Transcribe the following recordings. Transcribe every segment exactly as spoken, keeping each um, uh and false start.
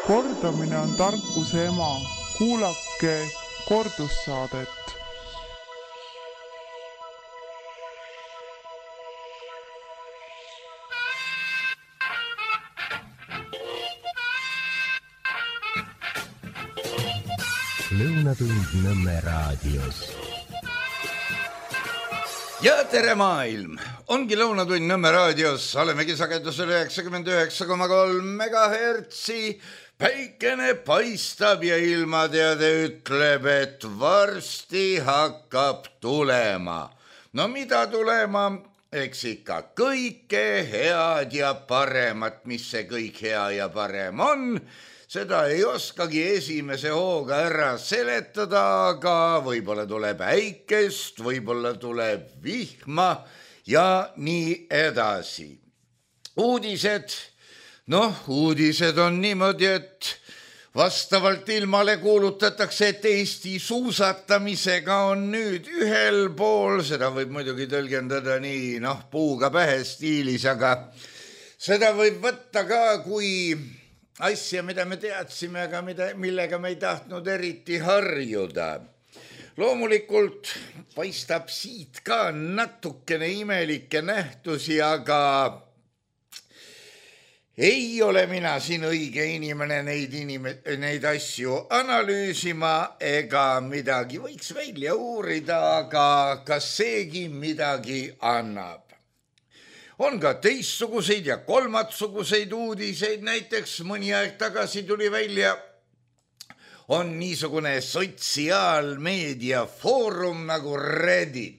Kordamine on tarkuse ema. Kuulake kordussaadet. Lõunatund Nõmme raadios. Ja tere maailm! Ongi Lõunatund Nõmme raadios. Olemegi sagedusel üheksakümmend üheksa koma kolm megahertsi. Päikene paistab ja ilmateade ütleb, et varsti hakkab tulema. No mida tulema? Eks ikka kõike head ja paremat, mis see kõik hea ja parem on. Seda ei oskagi esimese hooga ära seletada, aga võib-olla tuleb äikest, võib-olla tuleb vihma ja nii edasi. Uudised, noh, uudised on niimoodi, et vastavalt ilmale kuulutatakse, et Eesti suusatamisega on nüüd ühel pool, seda võib muidugi tõlgendada nii, noh, puuga pähe stiilis, aga seda võib võtta ka kui asja, mida me teadsime, aga mida, millega me ei tahtnud eriti harjuda. Loomulikult paistab siit ka natukene imelikke nähtusi, aga ei ole mina siin õige inimene neid, inime, neid asju analüüsima ega midagi võiks välja uurida, aga kas seegi midagi annab. On ka teistsuguseid ja kolmatsuguseid uudiseid, näiteks mõni aeg tagasi tuli välja, on niisugune sotsiaalmeedia foorum nagu Reddit.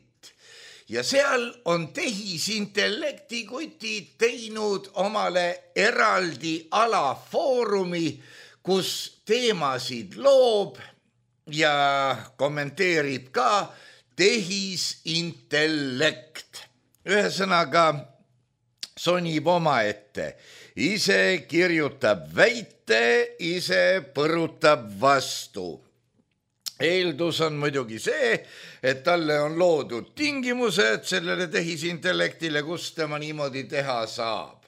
Ja seal on tehisintellekti kutid teinud omale eraldi alafoorumi, kus teemasid loob ja kommenteerib ka tehisintellekt. Ühesõnaga, sonib oma ette, ise kirjutab väite, ise põrutab vastu. Eeldus on muidugi see, et talle on loodud tingimused sellele tehisintellektile, kus tema niimoodi teha saab.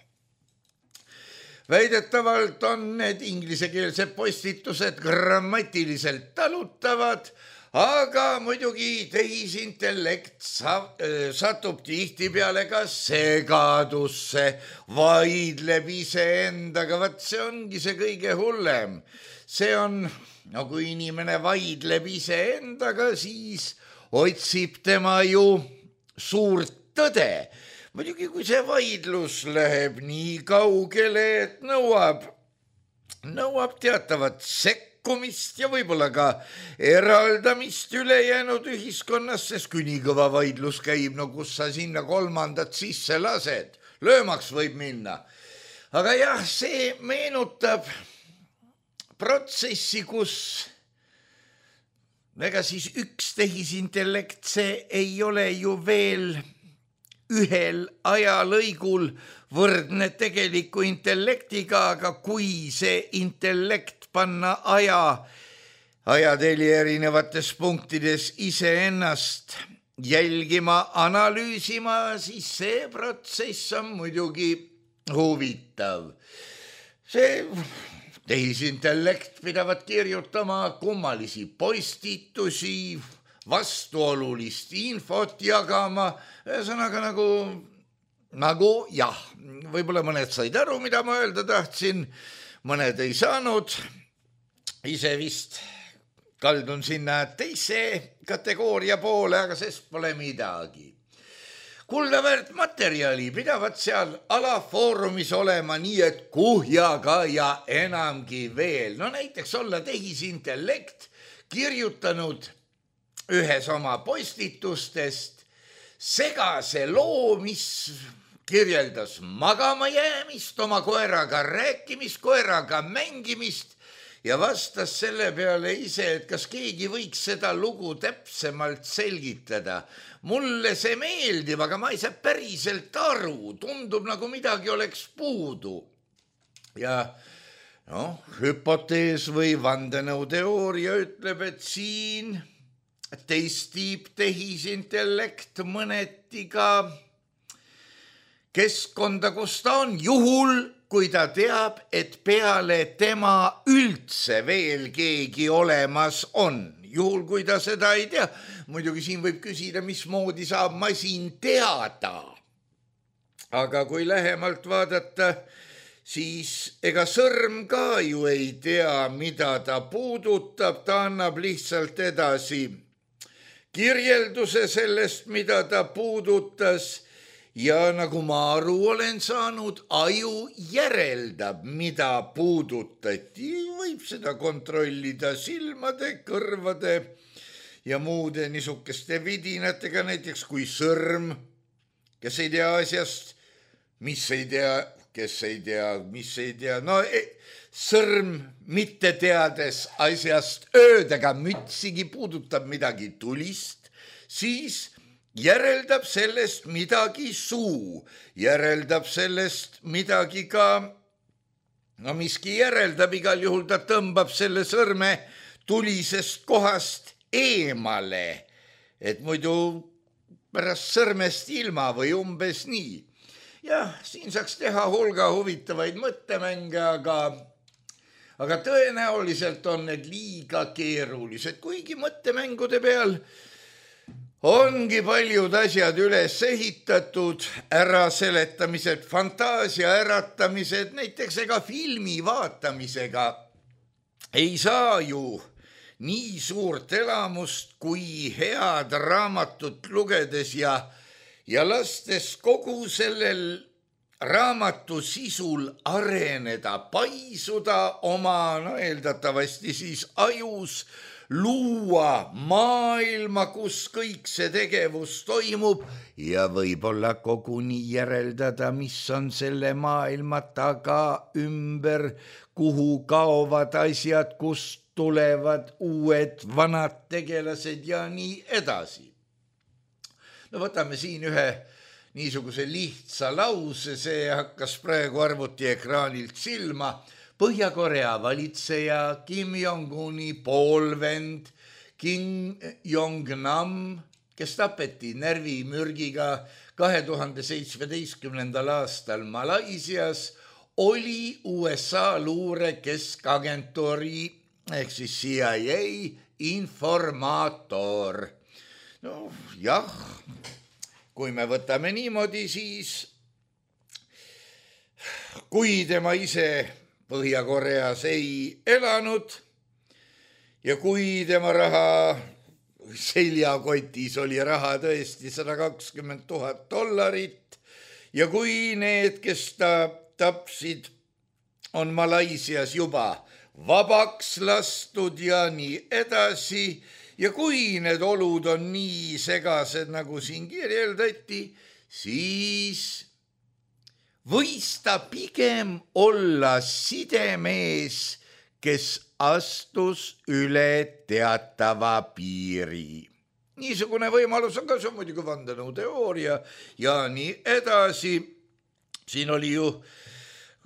Väidetavalt on need inglisekeelsed postitused grammatiliselt talutavad, aga muidugi tehisintellekt satub tihtipeale ka segadusse, vaidleb iseendaga, vaat see ongi see kõige hullem. See on, no kui inimene vaidleb iseendaga, siis otsib tema ju suurt tõde. Muidugi kui see vaidlus läheb nii kaugele, et nõuab, nõuab teatavat sekkumist, kumist ja võib-olla ka eraldamist ülejäänud ühiskonnas, sest kui nii kõva vaidlus käib, no kus sa sinna kolmandat sisse lased, löömaks võib minna. Aga jah, see meenutab protsessi, kus ega siis üks tehisintellekt, see ei ole ju veel ühel ajalõigul võrdne tegeliku intellektiga, aga kui see intellekt panna aja, ajateli erinevates punktides iseennast jälgima, analüüsima, siis see protsess on muidugi huvitav. See tehisintellekt pidavat kirjutama kummalisi postitusi, vastuolulist infot jagama, ühesõnaga nagu, nagu jah, võib-olla mõned said aru, mida ma öelda tahtsin, mõned ei saanud. Ise vist kaldun sinna teise kategooria poole, aga sest pole midagi. Kuldaväärt materjali pidavat seal alafoorumis olema nii, et kuhjaga ja enamgi veel. No näiteks olla tehisintellekt kirjutanud ühes oma postitustest segase loo, mis kirjeldas magama jäämist, oma koeraga rääkimist, koeraga mängimist ja vastas selle peale ise, et kas keegi võiks seda lugu täpsemalt selgitada. Mulle see meeldib, aga ma ei saa päriselt aru, tundub nagu midagi oleks puudu. Ja noh, hüpotees või vandenõuteooria ütleb, et siin testib tehisintellekt mõneti ka keskkonda, kus ta on, juhul kui ta teab, et peale tema üldse veel keegi olemas on. Juhul, kui ta seda ei tea, muidugi siin võib küsida, mismoodi saab masin teada. Aga kui lähemalt vaadata, siis ega sõrm ka ju ei tea, mida ta puudutab, ta annab lihtsalt edasi kirjelduse sellest, mida ta puudutas ja nagu ma aru olen saanud, aju järeldab, mida puudutati. Võib seda kontrollida silmade, kõrvade ja muude niisugeste vidinatega, näiteks kui sõrm, kes ei tea asjast, mis ei tea, kes ei tea, mis ei tea, no sõrm mitte teades asjast öödega mütsigi puudutab midagi tulist, siis järeldab sellest midagi suu, järeldab sellest midagi ka, no miski järeldab, igal juhul ta tõmbab selle sõrme tulisest kohast eemale, et muidu pärast sõrmest ilma või umbes nii. Jah, siin saaks teha hulga huvitavaid mõttemänge, aga, aga tõenäoliselt on need liiga keerulised, kuigi mõttemängude peal ongi paljud asjad üles ehitatud, äraseletamised, fantaasia äratamised, näiteks ega filmi vaatamisega ei saa ju nii suurt elamust kui head raamatut lugedes ja, ja lastes kogu sellel raamatu sisul areneda, paisuda oma, no eeldatavasti siis ajus, luua maailma, kus kõik see tegevus toimub ja võib-olla koguni järeldada, mis on selle maailma taga ümber, kuhu kaovad asjad, kust tulevad uued vanad tegelased ja nii edasi. No võtame siin ühe niisuguse lihtsa lause, see hakkas praegu arvutiekraanilt silma. Põhja-Korea valitseja Kim Jong-uni poolvend Kim Jong-nam, kes tapeti närvimürgiga kahe tuhande seitsmeteistkümnendal aastal Malaisias, oli U S A luure keskagentuuri ehk siis C I A informaator. No jah, kui me võtame niimoodi, siis kui tema ise Põhja-Koreas ei elanud ja kui tema raha seljakotis oli raha tõesti sada kakskümmend tuhat dollarit ja kui need, kes ta tapsid, on Malaisias juba vabaks lastud ja nii edasi ja kui need olud on nii segased, nagu siin kirjeldati, siis võis ta pigem olla sidemees, kes astus üle teatava piiri. Niisugune võimalus on ka, see on muidugi vandenõuteooria ja nii edasi. Siin oli ju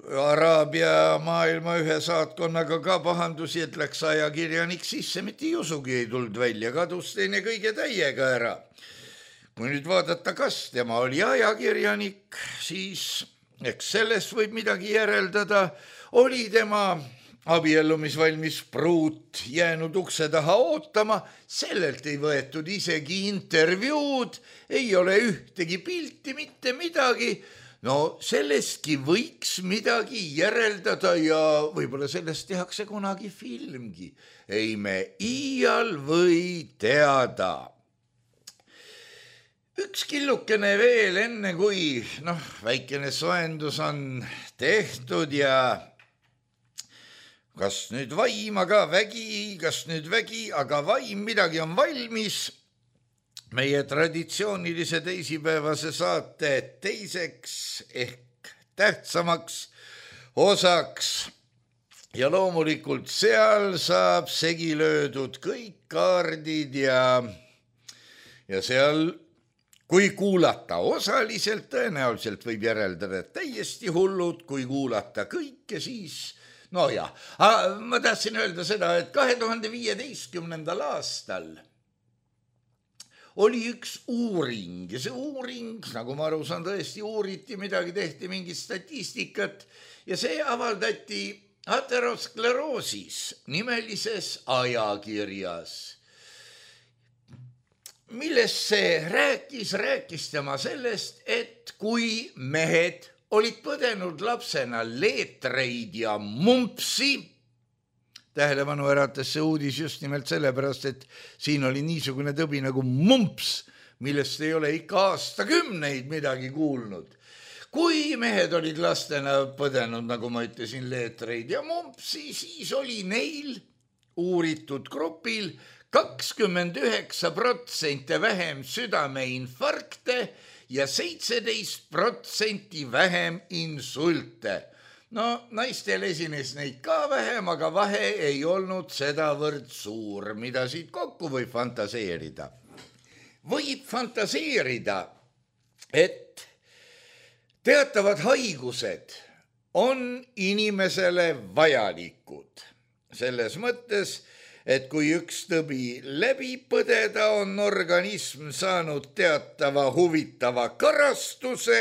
Araabia maailma ühe saatkonnaga ka pahandusi, et läks ajakirjanik sisse, mitte jusugi ei tulnud välja, kadus teine kõige täiega ära. Kui nüüd vaadata, kas tema oli ajakirjanik, siis eks sellest võib midagi järeldada, oli tema abiellumisvalmis pruut jäänud ukse taha ootama, sellelt ei võetud isegi intervjuud, ei ole ühtegi pilti, mitte midagi. No sellestki võiks midagi järeldada ja võib-olla sellest tehakse kunagi filmgi. Ei me iial või teada. Üks killukene veel enne, kui noh, väikene soendus on tehtud ja kas nüüd vaim, aga vägi, kas nüüd vägi, aga vaim, midagi on valmis. Meie traditsioonilise teisipäevase saate teiseks ehk tähtsamaks osaks ja loomulikult seal saab segi löödud kõik kaardid ja, ja seal kui kuulata osaliselt, tõenäoliselt võib järeldada täiesti hullud, kui kuulata kõike, siis no jah, ma tahtsin öelda seda, et kahe tuhande viieteistkümnendal aastal oli üks uuring ja see uuring, nagu ma aru saan, tõesti uuriti, midagi tehti, mingit statistikat ja see avaldati ateroskleroosis nimelises ajakirjas, milles see rääkis, rääkis tema sellest, et kui mehed olid põdenud lapsena leetreid ja mumpsi, tähelepanu äratas see uudis just nimelt sellepärast, et siin oli niisugune tõbi nagu mumps, millest ei ole ikka aastakümneid midagi kuulnud. Kui mehed olid lastena põdenud, nagu ma ütlesin, leetreid ja mumpsi, siis oli neil uuritud grupil kakskümmend üheksa protsenti vähem südameinfarkte ja seitseteist protsenti vähem insulte. No, naistel esines neid ka vähem, aga vahe ei olnud sedavõrd suur, mida siit kokku võib fantaseerida. Võib fantaseerida, et teatavad haigused on inimesele vajalikud. Selles mõttes, et kui üks tõbi läbi põdeda, on organism saanud teatava huvitava karastuse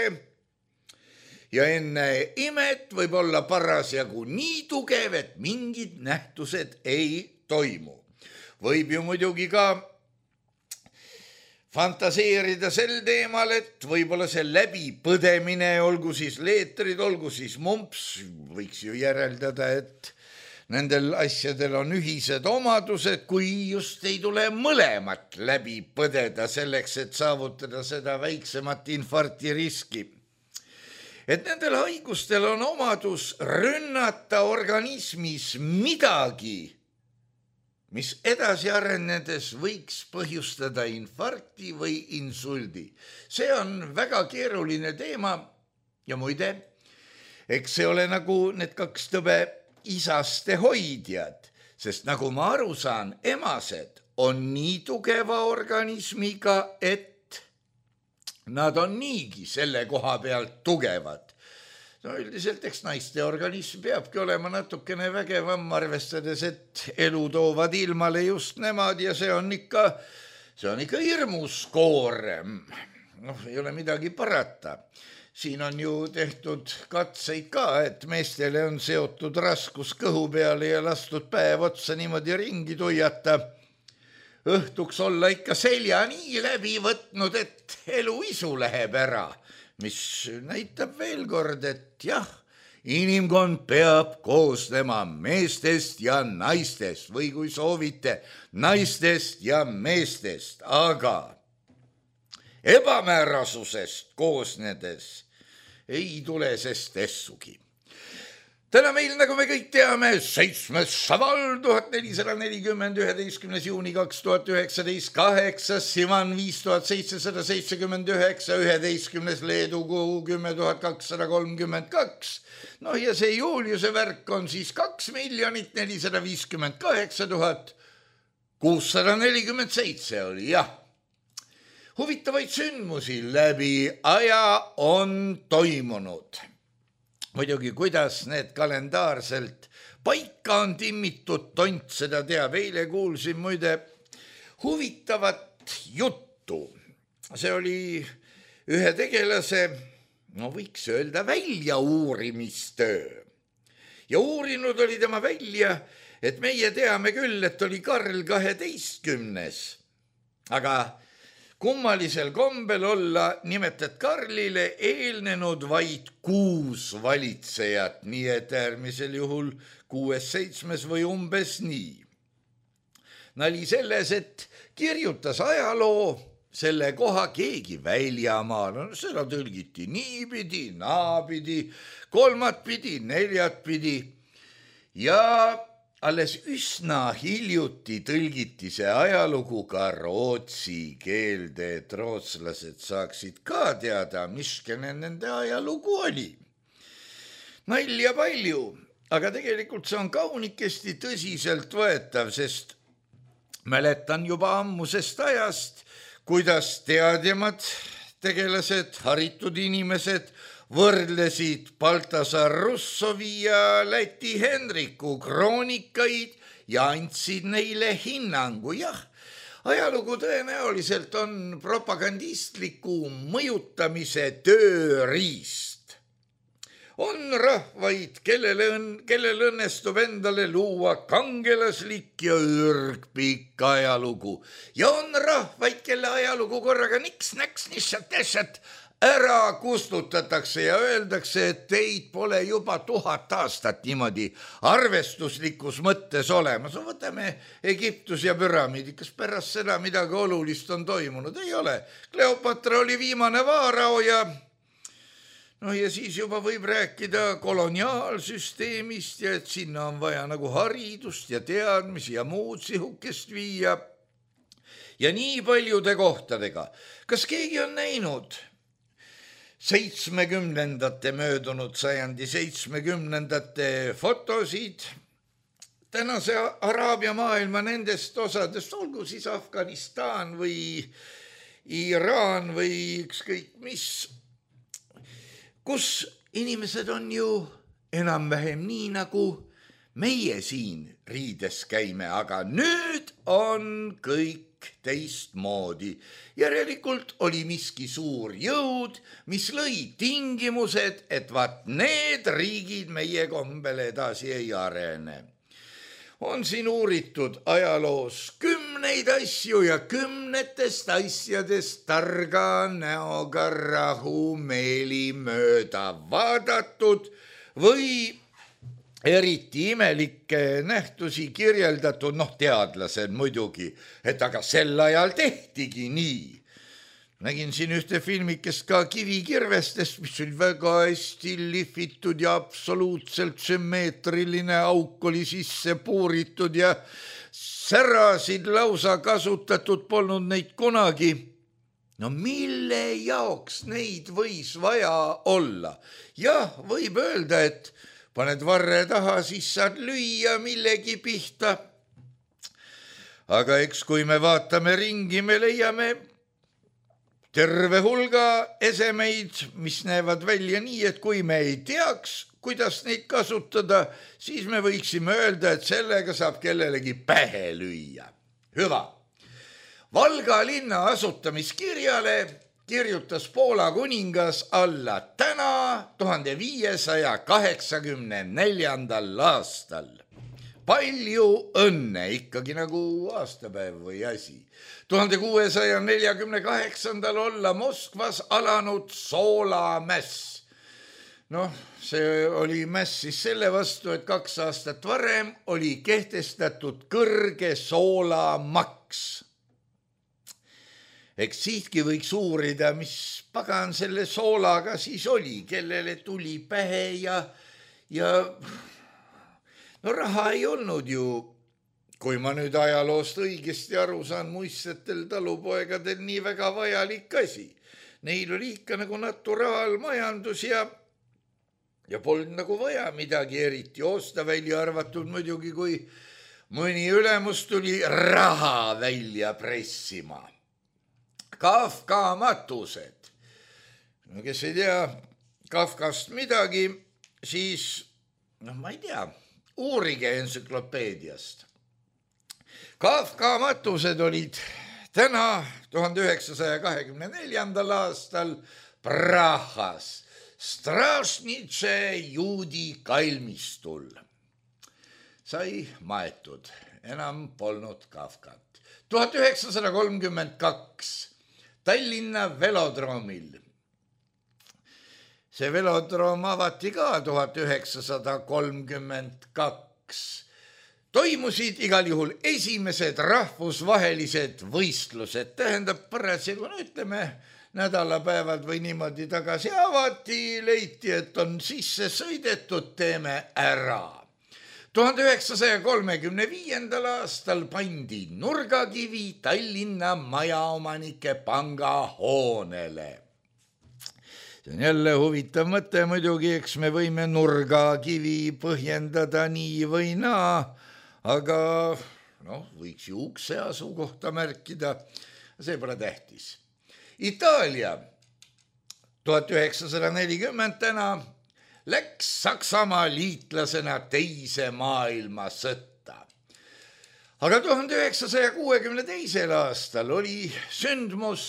ja enne imet võib olla parasjagu nii tugev, et mingid nähtused ei toimu. Võib ju muidugi ka fantaseerida sel teemal, et võib-olla see läbipõdemine, olgu siis leetrid, olgu siis mumps, võiks ju järeldada, et nendel asjadel on ühised omadused, kui just ei tule mõlemat läbi põdeda selleks, et saavutada seda väiksemat infarkti riski. Et nendel haigustel on omadus rünnata organismis midagi, mis edasi arenedes võiks põhjustada infarkti või insuldi. See on väga keeruline teema ja muide, eks see ole nagu need kaks tõbe isaste hoidjad, sest nagu ma aru saan, emased on nii tugeva organismiga, et nad on niigi selle koha pealt tugevad. No üldiselt eks naiste organism peabki olema natukene vägevam, arvestades, et elu toovad ilmale just nemad ja see on ikka, see on ikka hirmus koorem. Noh, ei ole midagi parata. Siin on ju tehtud katseid ka, et meestele on seotud raskus kõhu peale ja lastud päev otsa niimoodi ringi tuiata. Õhtuks olla ikka selja nii läbi võtnud, et elu isu läheb ära, mis näitab veel kord, et jah, inimkond peab koosnema meestest ja naistest või kui soovite, naistest ja meestest, aga ebamäärasusest koosnedes ei tule sest essugi. Täna meil, nagu me kõik teame, seitsmes Šaval tuhat nelisada nelikümmend, üheteistkümnes juuni kaks tuhat üheksateist, kaheksas Sivan viis tuhat seitsesada seitsekümmend üheksa, üheteistkümnes Leedu kuu kümme tuhat kakssada kolmkümmend kaks. No ja see Juliuse värk on siis kaks miljonit nelisada viiskümmend kaheksa tuhat kuussada nelikümmend seitse oli, jah. Huvitavaid sündmusi läbi aja on toimunud. Muidugi, kuidas need kalendaarselt paika on timmitud, tont seda teab. Eile kuulsin muide huvitavat juttu. See oli ühe tegelase, no võiks öelda, välja uurimistöö. Ja uurinud oli tema välja, et meie teame küll, et oli Karl kaheteistkümnes. Aga kummalisel kombel olla nimetat Karlile eelnenud vaid kuus valitsejat, nii et äärmisel juhul kuues, seitsmes või umbes nii. Nali selles, et kirjutas ajaloo selle koha keegi väljamaal, no seda tõlgiti niipidi, naapidi, kolmatpidi, neljatpidi ja alles üsna hiljuti tõlgiti see ajalugu ka rootsi keelde, et rootslased saaksid ka teada, miskene nende ajalugu oli. Nalja palju, aga tegelikult see on kaunikesti tõsiselt võetav, sest mäletan juba ammusest ajast, kuidas teadjamad tegelased, haritud inimesed võrdlesid Baltasar Russovi ja Läti Henriku kroonikaid ja andsid neile hinnangu. Jah, ajalugu tõenäoliselt on propagandistliku mõjutamise tööriist. On rahvaid, kellele, õn, kellel õnnestub endale luua kangelaslik ja ürgpikk ajalugu. Ja on rahvaid, kelle ajalugu korraga niks-näks, nissat-nissat ära kustutatakse ja öeldakse, et teid pole juba tuhat aastat niimoodi arvestuslikus mõttes olemas. Võtame Egiptus ja püramiidi, kas pärast seda midagi olulist on toimunud? Ei ole. Kleopatra oli viimane vaarao ja, no ja siis juba võib rääkida koloniaalsüsteemist ja et sinna on vaja nagu haridust ja teadmisi ja muud sihukest viia. Ja nii paljude kohtadega. Kas keegi on näinud seitsmekümnendate möödunud sajandi seitsmekümnendate fotosid tänase Araabia maailma nendest osadest, olgu siis Afganistan või Iraan või ükskõik mis, kus inimesed on ju enam-vähem nii nagu meie siin riides käime, aga nüüd on kõik teistmoodi. Järelikult oli miski suur jõud, mis lõi tingimused, et vaat need riigid meie kombel edasi ei arene. On siin uuritud ajaloos kümneid asju ja kümnetest asjadest targa näoga rahumeeli mööda vaadatud või eriti imelikke nähtusi kirjeldatud, noh teadlased muidugi, et aga sel ajal tehtigi nii. Nägin siin ühte filmikest ka kivikirvestest, mis oli väga hästi lihvitud ja absoluutselt sümmeetriline auk oli sisse puuritud ja särasid lausa kasutatud polnud neid kunagi. No mille jaoks neid võis vaja olla? Jah, võib öelda, et paned varre taha, siis saad lüüa millegi pihta. Aga eks kui me vaatame ringi, me leiame terve hulga esemeid, mis näevad välja nii, et kui me ei teaks, kuidas neid kasutada, siis me võiksime öelda, et sellega saab kellelegi pähe lüüa. Hüva. Valga linna asutamiskirjale kirjutas Poola kuningas alla täna tuhande viiesaja kaheksakümne neljandal aastal. Palju õnne, ikkagi nagu aastapäev või asi. tuhande kuuesaja neljakümne kaheksandal olla Moskvas alanud soolamäss. Noh, see oli mäss siis selle vastu, et kaks aastat varem oli kehtestatud kõrge soolamaks. Eks siitki võiks uurida, mis pagan selle soolaga siis oli, kellele tuli pähe ja, ja no raha ei olnud ju, kui ma nüüd ajaloost õigesti aru saan, muistsetel talupoegadel nii väga vajalik asi. Neil oli ikka nagu naturaalmajandus ja, ja polnud nagu vaja midagi eriti osta, välja arvatud muidugi, kui mõni ülemus tuli raha välja pressima. Kafka matused. No kes ei tea Kafkast midagi, siis, noh ma ei tea, uurige entsüklopeediast. Kafka matused olid täna tuhande üheksasaja kahekümne neljandal aastal Prahas, Stražnice juudi kalmistul. Sai maetud, enam polnud Kafkat. tuhat üheksasada kolmkümmend kaks Tallinna velodroomil. See velodroom avati ka tuhat üheksasada kolmkümmend kaks. Toimusid igal juhul esimesed rahvusvahelised võistlused. Tähendab parasjagu, no ütleme, nädalapäevad või niimoodi tagasi avati, leiti, et on sisse sõidetud, teeme ära. tuhande üheksasaja kolmekümne viiendal aastal pandi nurgakivi Tallinna majaomanike panga hoonele. See on jälle huvitav mõte muidugi, eks me võime nurgakivi põhjendada nii või naa, aga noh, võiks ju ukse asukohta märkida, see pole tähtis. Itaalia tuhat üheksasada nelikümmend täna läks Saksamaa liitlasena teise maailmasõtta. aga tuhande üheksasaja kuuekümne teisel aastal oli sündmus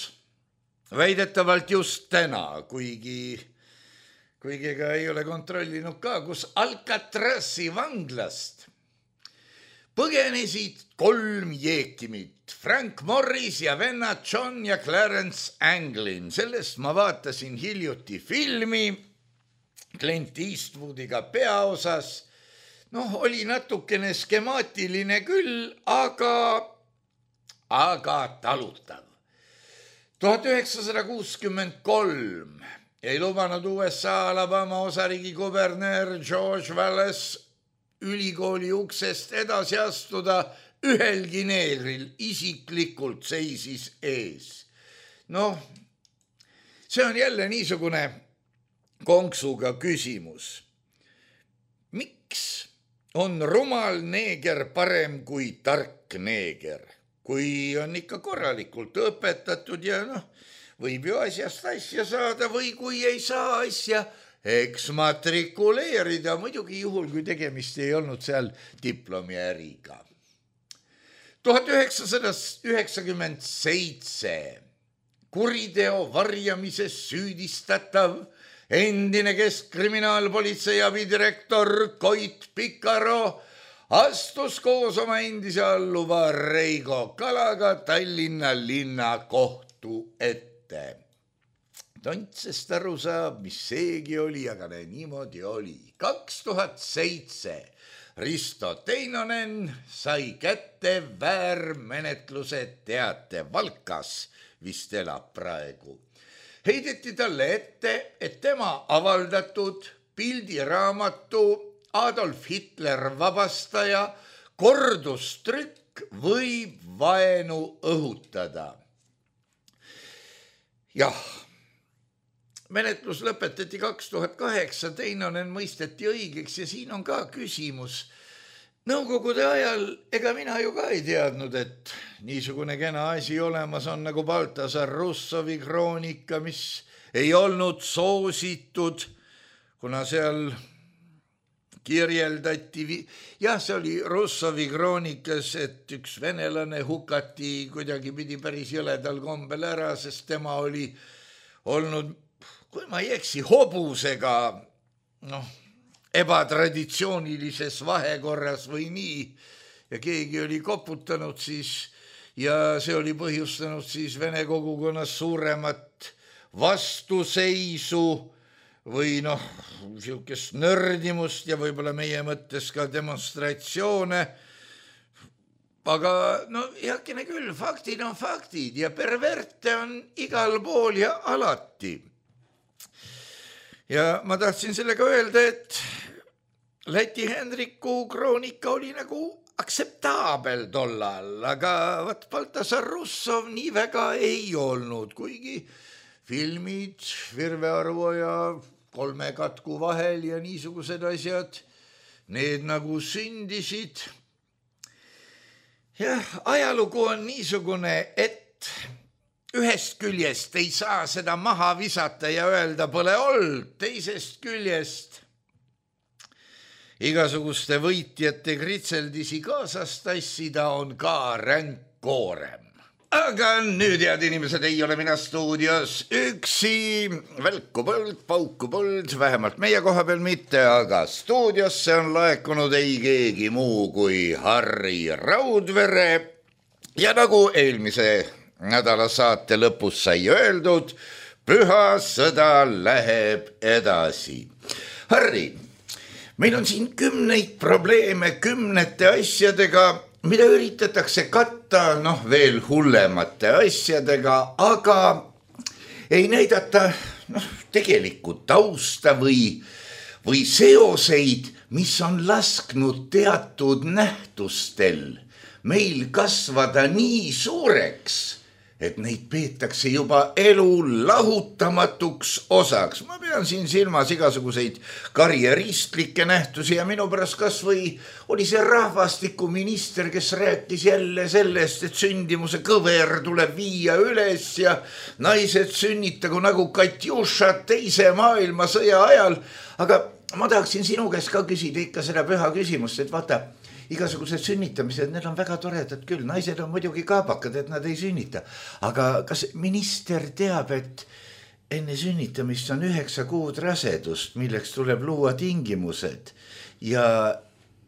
väidetavalt just täna, kuigi, kuigi ega ei ole kontrollinud ka, kus Alcatrazi vanglast põgenesid kolm jeekimit, Frank Morris ja vennad John ja Clarence Anglin. Sellest ma vaatasin hiljuti filmi Clint Eastwoodiga peaosas. Noh, oli natukene skemaatiline küll, aga, aga talutav. tuhat üheksasada kuuskümmend kolm ei lubanud U S A Alabama osariigi kubernöör George Wallace ülikooli uksest edasi astuda, ühelgi neegril isiklikult seisis ees. Noh, see on jälle niisugune konksuga küsimus. Miks on rumal neeger parem kui tark neeger, kui on ikka korralikult õpetatud ja noh, võib ju asjast asja saada või kui ei saa asja eks matrikuleerida, muidugi juhul, kui tegemist ei olnud seal diplomiäriga. tuhat üheksasada üheksakümmend seitse kuriteo varjamises süüdistatav endine keskkriminaalpolitsei abidirektor Koit Pikaro astus koos oma endise alluva Reigo Kalaga Tallinna linnakohtu ette. Tontsest aru saab, mis seegi oli, aga ne, niimoodi oli. kaks tuhat seitse Risto Teinonen sai kätte väärmenetluse teate Valkas, vist elab praegu. Heideti talle ette, et tema avaldatud pildiraamatu Adolf Hitler vabastaja kordustrükk võib vaenu õhutada. Jah, menetlus lõpetati kaks tuhat kaheksa, Teinonen mõisteti õigeks ja siin on ka küsimus. Nõukogude ajal, ega mina ju ka ei teadnud, et niisugune kena asi olemas on nagu Baltasar Russovi kroonika, mis ei olnud soositud, kuna seal kirjeldati, jah, see oli Russovi kroonikas, et üks venelane hukati kuidagi pidi päris jõledal kombel ära, sest tema oli olnud, kui ma ei eksi, hobusega, noh, ebatraditsioonilises vahekorras või nii, ja keegi oli koputanud siis, ja see oli põhjustanud siis vene kogukonnas suuremat vastuseisu või noh, niisugust nördimust ja võib-olla meie mõttes ka demonstratsioone. Aga no heakene küll, faktid on faktid ja perverte on igal pool ja alati. Ja ma tahtsin sellega öelda, et Läti Hendriku kroonika oli nagu aktseptaabel tollal, aga vat Baltasar Russov nii väga ei olnud, kuigi filmid Virve Arvo ja Kolme katku vahel ja niisugused asjad, need nagu sündisid. Jah, ajalugu on niisugune, et ühest küljest ei saa seda maha visata ja öelda pole olnud, teisest küljest igasuguste võitjate kritseldisi kaasast tassida on ka ränk koorem. Aga nüüd, head inimesed, ei ole mina stuudios üksi, välku põld, pauku põld, vähemalt meie koha peal mitte, aga stuudiosse on laekunud ei keegi muu kui Harri Raudvere ja nagu eelmise nädala saate lõpus sai öeldud, püha sõda läheb edasi. Harri, meil on siin kümneid probleeme kümnete asjadega, mida üritatakse katta, noh, veel hullemate asjadega, aga ei näidata noh, tegelikku tausta või, või seoseid, mis on lasknud teatud nähtustel meil kasvada nii suureks, et neid peetakse juba elu lahutamatuks osaks. Ma pean siin silmas igasuguseid karjeristlikke nähtusi ja minu pärast kas või oli see rahvastikuminister, kes rääkis jälle sellest, et sündimuse kõver tuleb viia üles ja naised sünnitagu nagu Katjušad teise maailmasõja ajal. Aga ma tahaksin sinu käest ka küsida ikka seda püha küsimust, et vaata, igasugused sünnitamised, need on väga toredad küll, naised on muidugi kaabakad, et nad ei sünnita. Aga kas minister teab, et enne sünnitamist on üheksa kuud rasedust, milleks tuleb luua tingimused ja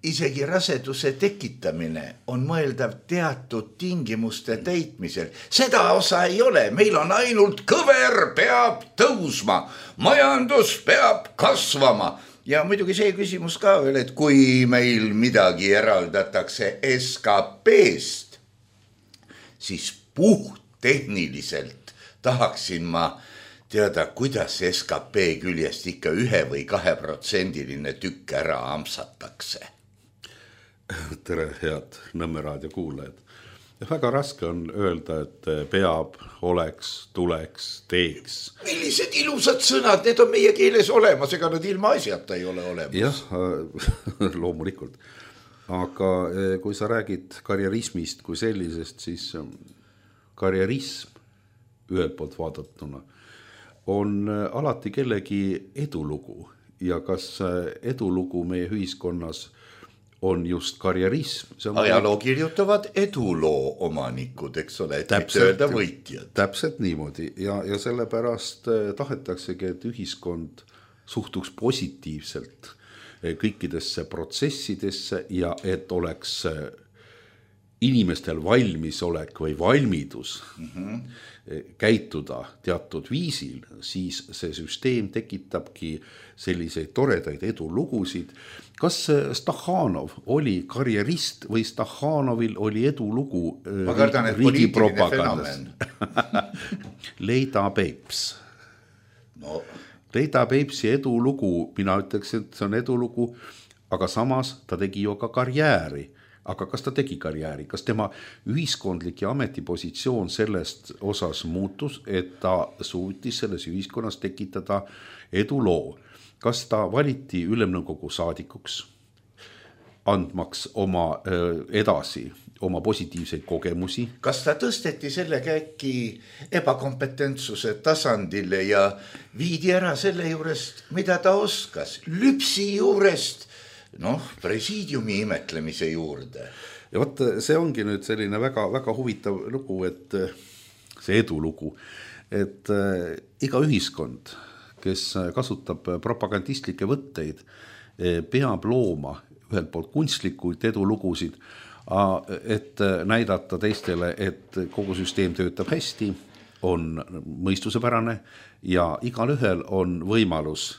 isegi raseduse tekitamine on mõeldav teatud tingimuste täitmisel. Seda osa ei ole, meil on ainult kõver peab tõusma, majandus peab kasvama ja muidugi see küsimus ka veel, et kui meil midagi eraldatakse S K P-st, siis puhttehniliselt tahaksin ma teada, kuidas S K P küljest ikka ühe või kahe protsendiline tükk ära amsatakse. Tere, head Nõmme raadio kuulajad. Väga raske on öelda, et peab, oleks, tuleks, teeks. Millised ilusad sõnad, need on meie keeles olemas, ega nad ilma asjata ei ole olemas. Jah, loomulikult. Aga kui sa räägid karjerismist kui sellisest, siis karjerism ühelt poolt vaadatuna on alati kellegi edulugu ja kas edulugu meie ühiskonnas on just karjerism. Ajaloo kirjutavad eduloo omanikud, eks ole, et mitte öelda võitjad. Täpselt niimoodi ja, ja sellepärast tahetaksegi, et ühiskond suhtuks positiivselt kõikidesse protsessidesse ja et oleks inimestel valmisolek või valmidus mm-hmm. käituda teatud viisil, siis see süsteem tekitabki selliseid toredaid edulugusid. Kas Stakhanov oli karjerist või Stakhanovil oli edulugu Ma kardan, et riigi fenomen. Leida Peips. No. Leida Peipsi edulugu, mina ütleks, et see on edulugu, aga samas ta tegi ju ka karjääri. Aga kas ta tegi karjääri? Kas tema ühiskondlik ja ametipositsioon sellest osas muutus, et ta suutis selles ühiskonnas tekitada eduloo? Kas ta valiti ülemnõukogu saadikuks, andmaks oma edasi oma positiivseid kogemusi? Kas ta tõsteti selle käki ebakompetentsuse tasandile ja viidi ära selle juurest, mida ta oskas? Lüpsi juurest, noh, presiidiumi imetlemise juurde. Ja võt, see ongi nüüd selline väga, väga huvitav lugu, et see edulugu, et iga ühiskond, kes kasutab propagandistlikke võtteid, peab looma ühelt poolt kunstlikuid edulugusid, et näidata teistele, et kogu süsteem töötab hästi, on mõistusepärane ja igal ühel on võimalus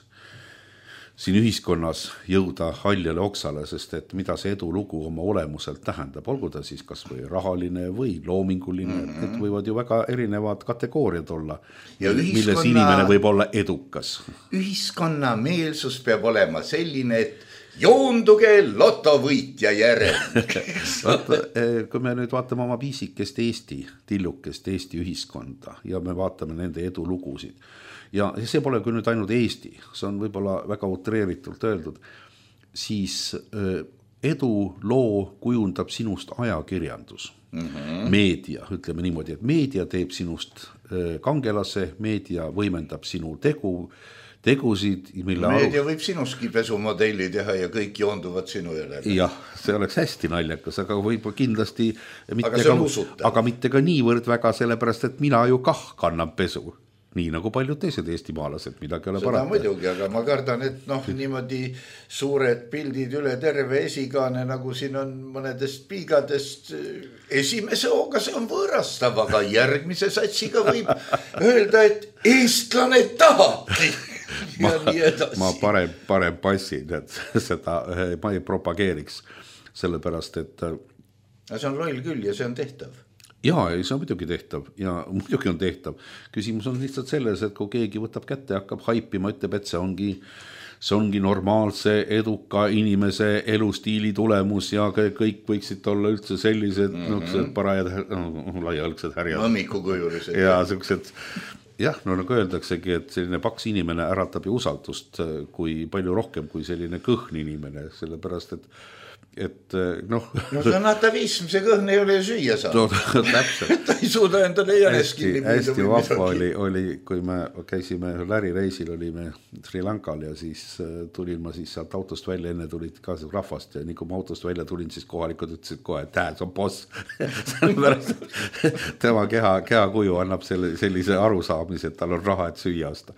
siin ühiskonnas jõuda haljale oksale, sest et mida see edulugu oma olemuselt tähendab, olgu ta siis kas või rahaline või loominguline, mm-hmm. et võivad ju väga erinevad kategooriad olla, ja ühiskonna, milles inimene võib olla edukas. Ühiskonna meelsus peab olema selline, et joonduge lotovõitja järel. Kui me nüüd vaatame oma piisikest Eesti, tillukest Eesti ühiskonda ja me vaatame nende edulugusid, ja see pole küll nüüd ainult Eesti, see on võib-olla väga utreeritult öeldud, siis edu loo kujundab sinust ajakirjandus, mm-hmm. meedia, ütleme niimoodi, et meedia teeb sinust kangelase, meedia võimendab sinu tegu, tegusid, mille meedia arust... võib sinuski pesumodelli teha ja kõik joonduvad sinu järele. Jah, see oleks hästi naljakas, aga võib kindlasti mitte aga, ka, aga mitte ka niivõrd väga, sellepärast, et mina ju kah kannan pesu. Nii nagu paljud teised eestimaalased, midagi ole parata. Seda muidugi, aga ma kardan, et noh, niimoodi suured pildid üle terve esikaane, nagu siin on mõnedest piigadest, esimese hooga see on võõrastav, aga järgmise satsiga võib öelda, et eestlane tahabki. Ma, ma parem, parem passin, et seda ma ei propageeriks, sellepärast, et see on loll küll ja see on tehtav. Jaa, see on muidugi tehtav ja muidugi on tehtav. Küsimus on lihtsalt selles, et kui keegi võtab kätte ja hakkab haipima, ütleb, et see ongi, see ongi normaalse, eduka inimese elustiili tulemus ja kõik võiksid olla üldse sellised mm-hmm. parajad, no, laialgsed härjad. Mõmmikukujulised. Ja sellised jah, no nagu öeldaksegi, et selline paks inimene äratab ju usaldust kui palju rohkem kui selline kõhn inimene, sellepärast et et noh no see on atavism, see kõhn ei ole süüa saanud no, täpselt. ta ei suuda endale jänes kinni hästi, hästi vahva oli, oli, kui me käisime lärireisil, olime Sri Lankal ja siis tulin ma siis sealt autost välja, enne tulid ka rahvast ja nii kui ma autost välja tulin, siis kohalikud ütlesid kohe, et tähed, see on boss sellepärast tema keha, keha kuju annab selle, sellise arusaamise, et tal on raha, et süüa osta.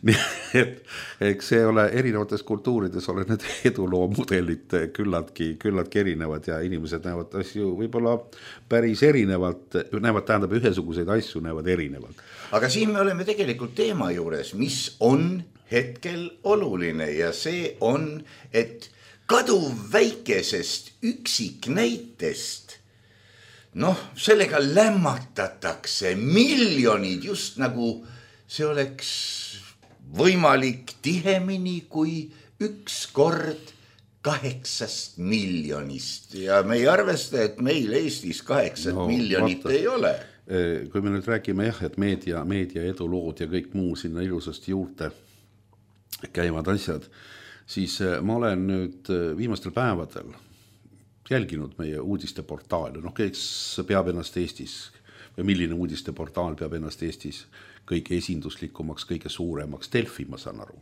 Nii et eks see ole erinevates kultuurides ole need eduloo mudelid küllaltki küllaltki erinevad ja inimesed näevad asju võib-olla päris erinevalt, näevad tähendab ühesuguseid asju, näevad erinevalt. Aga siin me oleme tegelikult teema juures, mis on hetkel oluline ja see on, et kaduv väikesest üksiknäitest, noh, sellega lämmatatakse miljonid, just nagu see oleks võimalik tihemini kui üks kord kaheksast miljonist ja me ei arvesta, et meil Eestis kaheksat no, miljonit vaata, ei ole. Kui me nüüd räägime jah, et meedia, meedia edulood ja kõik muu sinna ilusasti juurde käivad asjad, siis ma olen nüüd viimastel päevadel jälginud meie uudisteportaali, noh kes peab ennast Eestis või milline uudisteportaal peab ennast Eestis kõige esinduslikumaks, kõige suuremaks, Delfi ma saan aru.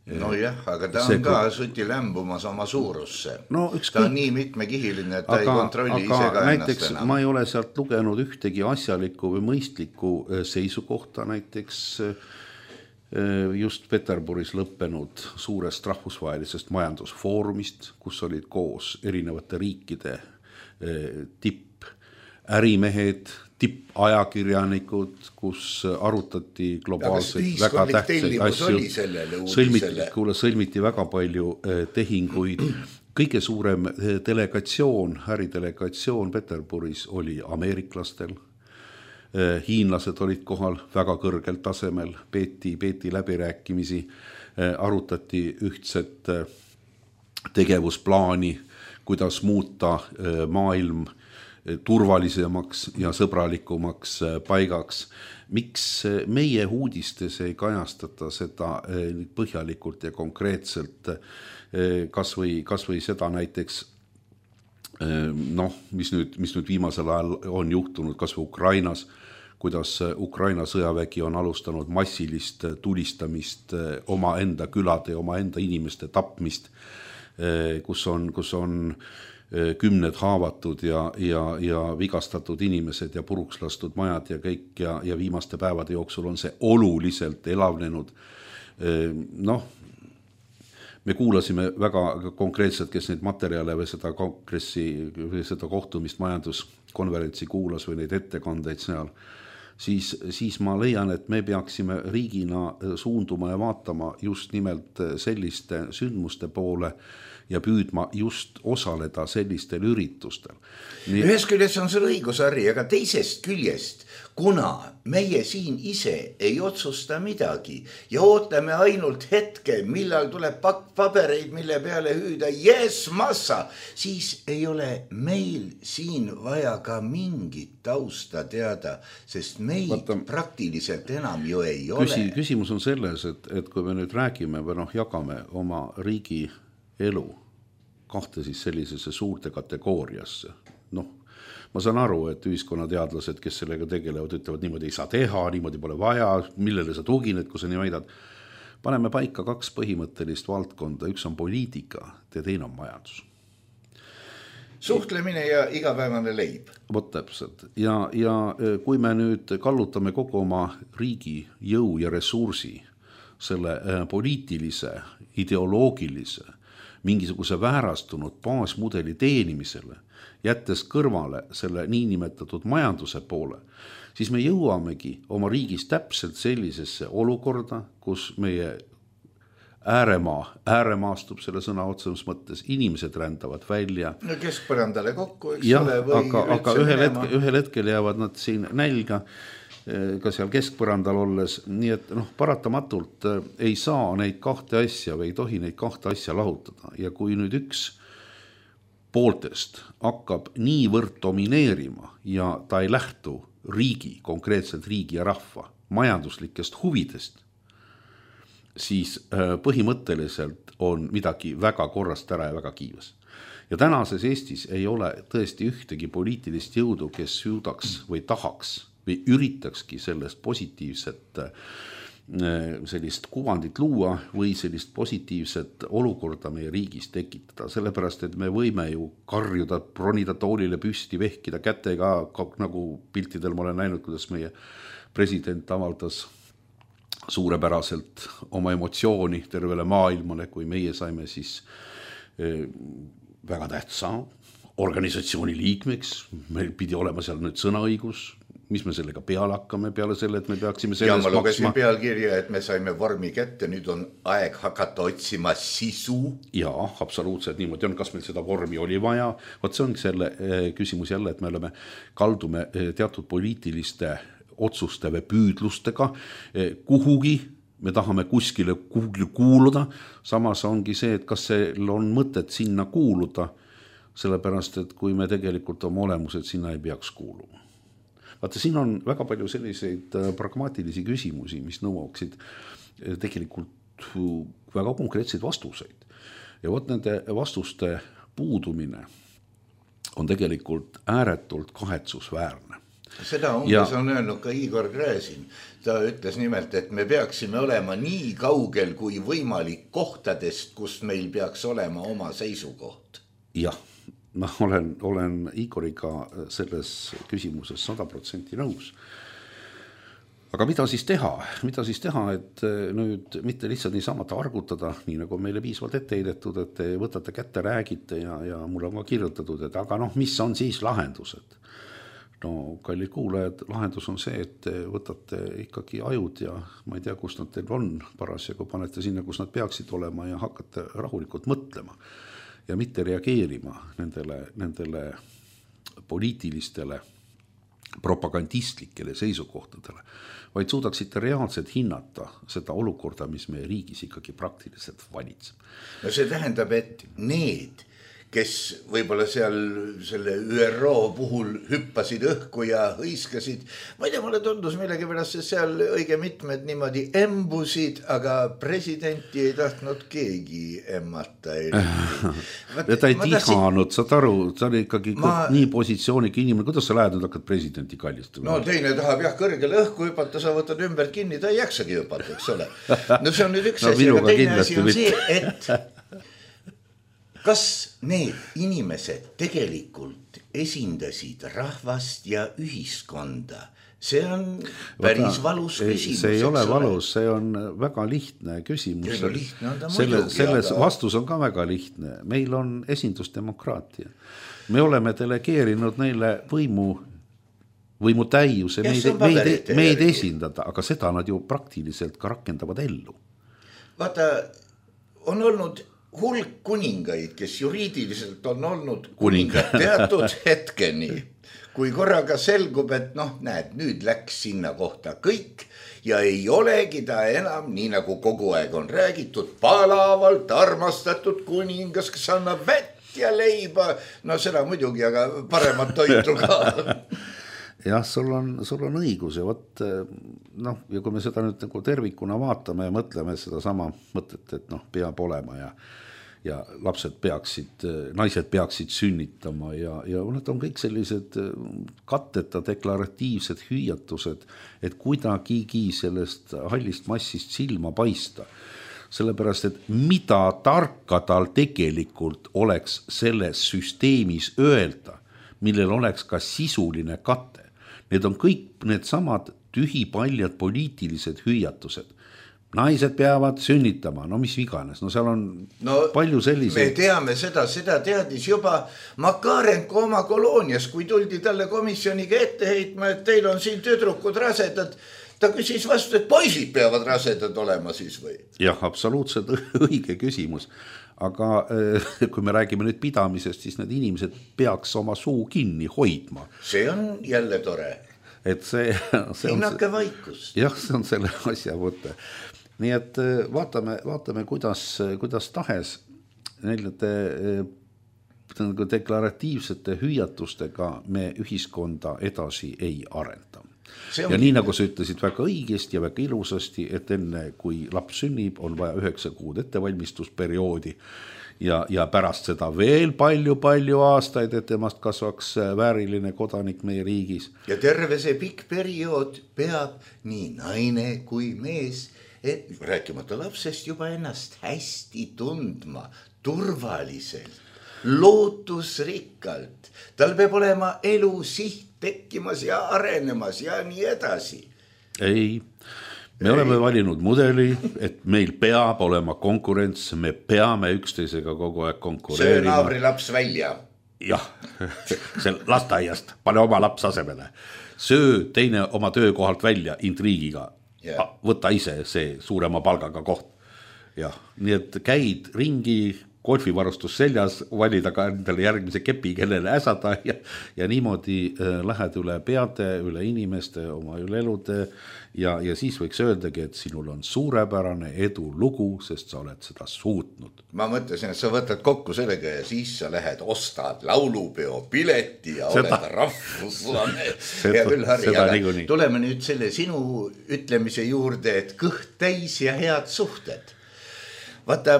No jah, aga ta on ka suti lämbumas oma suurusse. No, ta on nii mitmekihiline, et ta aga, ei kontrolli ise ka näiteks ennast enam. Ma ei ole sealt lugenud ühtegi asjalikku või mõistlikku seisukohta näiteks just Peterburis lõppenud suurest rahvusvahelisest majandusfoorumist, kus olid koos erinevate riikide tipp ärimehed, tippajakirjanikud, kus arutati globaalseid väga tähtsaid asju. Sõlmiti, kuule, sõlmiti väga palju tehinguid. Kõige suurem delegatsioon, äridelegatsioon Peterburis oli ameeriklastel. Hiinlased olid kohal väga kõrgel tasemel, peeti, peeti läbirääkimisi, arutati ühtset tegevusplaani, kuidas muuta maailm turvalisemaks ja sõbralikumaks paigaks. Miks meie uudistes ei kajastata seda põhjalikult ja konkreetselt, kas või, kas või seda näiteks, noh, mis nüüd, mis nüüd viimasel ajal on juhtunud, kas või Ukrainas, kuidas Ukraina sõjavägi on alustanud massilist tulistamist, oma enda külade ja oma enda inimeste tapmist, kus on, kus on kümned haavatud ja, ja, ja vigastatud inimesed ja puruks lastud majad ja kõik ja, ja viimaste päevade jooksul on see oluliselt elavnenud. Noh, me kuulasime väga konkreetselt, kes neid materjale või seda kongressi või seda kohtumist majanduskonverentsi kuulas või neid ettekandeid seal, siis, siis ma leian, et me peaksime riigina suunduma ja vaatama just nimelt selliste sündmuste poole ja püüdma just osaleda sellistel üritustel. Nii... Ühes küljest on sul õigus, Harri, aga teisest küljest, kuna meie siin ise ei otsusta midagi ja ootame ainult hetke, millal tuleb pakk pabereid, mille peale hüüda yes, massa, siis ei ole meil siin vaja ka mingit tausta teada, sest meid Vaata, praktiliselt enam ju ei küsi, ole. Küsimus on selles, et, et kui me nüüd räägime või noh, jagame oma riigi elu kahte siis sellisesse suurte kategooriasse. Noh, ma saan aru, et ühiskonnateadlased, kes sellega tegelevad, ütlevad niimoodi ei saa teha, niimoodi pole vaja, millele sa tugined, kui sa nii väidad. Paneme paika kaks põhimõttelist valdkonda, üks on poliitika ja teine on majandus. Suhtlemine ja igapäevane leib. Vot täpselt. Ja, ja kui me nüüd kallutame kogu oma riigi jõu ja ressursi selle poliitilise, ideoloogilise, mingisuguse väärastunud baasmudeli teenimisele, jättes kõrvale selle niinimetatud majanduse poole, siis me jõuamegi oma riigis täpselt sellisesse olukorda, kus meie ääremaa, ääremaastub selle sõna otsemas mõttes, inimesed rändavad välja. No keskpõrandale kokku, eks ja, ole, või aga, aga ühel hetkel, ühel hetkel jäävad nad siin nälga, ka seal keskpõrandal olles, nii et noh, paratamatult ei saa neid kahte asja või ei tohi neid kahte asja lahutada ja kui nüüd üks pooltest hakkab niivõrd domineerima ja ta ei lähtu riigi, konkreetselt riigi ja rahva, majanduslikest huvidest, siis põhimõtteliselt on midagi väga korrast ära ja väga kiivas. Ja tänases Eestis ei ole tõesti ühtegi poliitilist jõudu, kes suudaks või tahaks või üritakski sellest positiivset sellist kuvandit luua või sellist positiivset olukorda meie riigis tekitada, sellepärast et me võime ju karjuda, ronida toolile püsti, vehkida kätega, nagu piltidel ma olen näinud, kuidas meie president avaldas suurepäraselt oma emotsiooni tervele maailmale, kui meie saime siis väga tähtsa organisatsiooni liikmeks, meil pidi olema seal nüüd sõnaõigus, mis me sellega peale hakkame, peale selle, et me peaksime selles maksma. Ja ma lugesin pealkirja, et me saime vormi kätte, nüüd on aeg hakata otsima sisu. Jaa, absoluutselt niimoodi on, kas meil seda vormi oli vaja. Võt see on selle küsimus jälle, et me oleme kaldume teatud poliitiliste otsuste või püüdlustega kuhugi, me tahame kuskile kuhugi kuuluda, samas ongi see, et kas seal on mõtet sinna kuuluda, sellepärast, et kui me tegelikult oma olemused sinna ei peaks kuuluma. Vaata, siin on väga palju selliseid pragmaatilisi küsimusi, mis nõuaksid tegelikult väga konkreetseid vastuseid. Ja võt nende vastuste puudumine on tegelikult ääretult kahetsusväärne. Seda umbes ja... on öelnud ka Igor Gräzin. Ta ütles nimelt, et me peaksime olema nii kaugel kui võimalik kohtadest, kus meil peaks olema oma seisukoht. Jah. Ma olen, olen Igoriga selles küsimuses sada protsenti nõus. Aga mida siis teha? Mida siis teha, et nüüd mitte lihtsalt niisamata argutada, nii nagu meile piisvalt ette heidetud, et te võtate kätte, räägite ja, ja mul on ka kirjutatud, et aga noh, mis on siis lahendused? No, kallid kuulajad, lahendus on see, et te võtate ikkagi ajud ja ma ei tea, kus nad teil on parasjagu, panete sinna, kus nad peaksid olema ja hakkate rahulikult mõtlema. Ja mitte reageerima nendele, nendele poliitilistele propagandistlikele seisukohtadele, vaid suudaksite reaalselt hinnata seda olukorda, mis meie riigis ikkagi praktiliselt valitseb. No see tähendab, et need, kes võib-olla seal selle Ü R O puhul hüppasid õhku ja hõiskasid. Ma ei tea, mulle tundus millegi pärast, et seal õige mitmed niimoodi embusid, aga presidenti ei tahtnud keegi emmata. Ja ta ei tihanud, saad aru, ta oli ikkagi ma... nii positsiooniga inimene, kuidas sa lähed nüüd hakkad presidenti kallistama? No teine tahab jah kõrgele õhku hüpata, sa võtad ümber kinni, ta ei jaksagi hüpata, eks ole. No see on nüüd üks no, asi, aga teine asi on see, et kas need inimesed tegelikult esindasid rahvast ja ühiskonda? See on päris Vata, valus küsimus. See ei ole valus, see on väga lihtne küsimus. No, lihtne on ta Selle, muidugi, selles aga... vastus on ka väga lihtne. Meil on esindusdemokraatia. Me oleme delegeerinud neile võimu, võimu täiuse, meid, meid, meid esindada, aga seda nad ju praktiliselt ka rakendavad ellu. Vaata, on olnud hulk kuningaid, kes juriidiliselt on olnud kuningad teatud hetkeni, kui korraga selgub, et noh, näed, nüüd läks sinna kohta kõik ja ei olegi ta enam, nii nagu kogu aeg on räägitud, palavalt armastatud kuningas, kes annab vett ja leiba, no seda muidugi, aga paremat toitu ka. Jah, sul on, sul on õigus ja võt, noh, ja kui me seda nüüd nagu tervikuna vaatame ja mõtleme seda sama mõtet, et noh, peab olema ja ja lapsed peaksid, naised peaksid sünnitama ja, ja need on kõik sellised katteta deklaratiivsed hüüatused, et kuidagigi sellest hallist massist silma paista. Sellepärast, et mida tarka tal tegelikult oleks selles süsteemis öelda, millel oleks ka sisuline katte. Need on kõik need samad tühipaljad poliitilised hüüatused. Naised peavad sünnitama, no mis iganes, no seal on no, palju selliseid. Me teame seda, seda teadis juba Makarenko oma koloonias, kui tuldi talle komisjoniga ette heitma, et teil on siin tüdrukud rasedad. Ta küsis vastu, et poisid peavad rasedad olema siis või? Jah, absoluutselt õige küsimus. Aga kui me räägime nüüd pidamisest, siis need inimesed peaks oma suu kinni hoidma. See on jälle tore. Et see, see Hinnake on, vaikus. Jah, see on selle asja võte. Nii et vaatame, vaatame kuidas, kuidas tahes nende deklaratiivsete hüüatustega me ühiskonda edasi ei arenda. ja nii nagu sa ütlesid väga õigesti ja väga ilusasti, et enne kui laps sünnib, on vaja üheksa kuud ettevalmistusperioodi ja, ja pärast seda veel palju-palju aastaid, et temast kasvaks vääriline kodanik meie riigis. Ja terve see pikk periood peab nii naine kui mees, et rääkimata lapsest juba ennast hästi tundma, turvaliselt, lootusrikkalt. Tal peab olema elu siht tekkimas ja arenemas ja nii edasi. Ei, me Ei. oleme valinud mudeli, et meil peab olema konkurents, me peame üksteisega kogu aeg konkureerima. Söö naabri laps välja. Jah, see lasteaiast, pane oma laps asemele. Söö teine oma töökohalt välja intriigiga. Yeah. Võta ise see suurema palgaga koht. Jah, nii et käid ringi, golfivarustus seljas, valida ka endale järgmise kepi, kellele äsada ja, ja niimoodi äh, lähed üle peade, üle inimeste, oma üle elude ja, ja siis võiks öeldagi, et sinul on suurepärane edu lugu, sest sa oled seda suutnud. Ma mõtlesin, et sa võtad kokku sellega ja siis sa lähed, ostad laulupeo pileti ja seda, oled rahvuslane. Ja küll, Harri, aga tuleme nüüd selle sinu ütlemise juurde, et kõht täis ja head suhted. Vaata,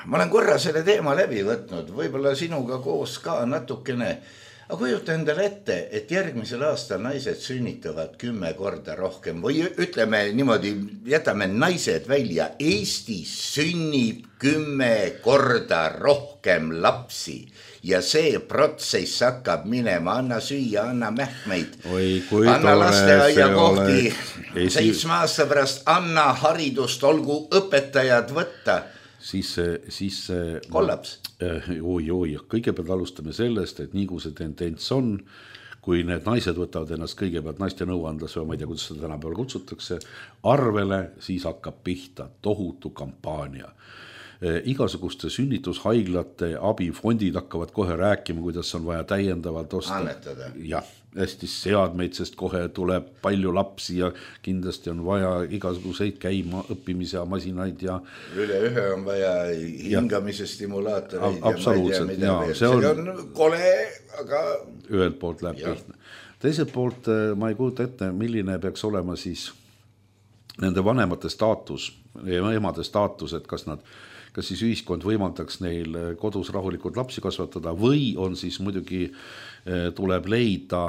ma olen korra selle teema läbi võtnud, võib-olla sinuga koos ka natukene, aga kujuta endale ette, et järgmisel aastal naised sünnitavad kümme korda rohkem või ütleme niimoodi, jätame naised välja, Eestis sünnib kümme korda rohkem lapsi ja see protsess hakkab minema, anna süüa, anna mähkmeid, Oi, anna lasteaia kohti, seitsme aasta pärast anna haridust, olgu õpetajad võtta. Siis, siis kollaps. Oi, oi, kõigepealt alustame sellest, et nii kui see tendents on, kui need naised võtavad ennast kõigepealt naiste nõuandlas või ma ei tea, kuidas seda tänapäeval kutsutakse, arvele, siis hakkab pihta tohutu kampaania. Igasuguste sünnitushaiglate abifondid hakkavad kohe rääkima, kuidas on vaja täiendavalt osta. Annetada. Jah, hästi seadmeid, sest kohe tuleb palju lapsi ja kindlasti on vaja igasuguseid käima õppimise masinaid ja üle ühe on vaja hingamise stimulaatoreid ja ma ei tea, mida veel. See on, see on kole, aga ühelt poolt läheb lihtne. Teiselt poolt ma ei kujuta ette, milline peaks olema siis nende vanemate staatus ja emade staatus, et kas nad kas siis ühiskond võimaldaks neil kodus rahulikult lapsi kasvatada või on siis muidugi tuleb leida,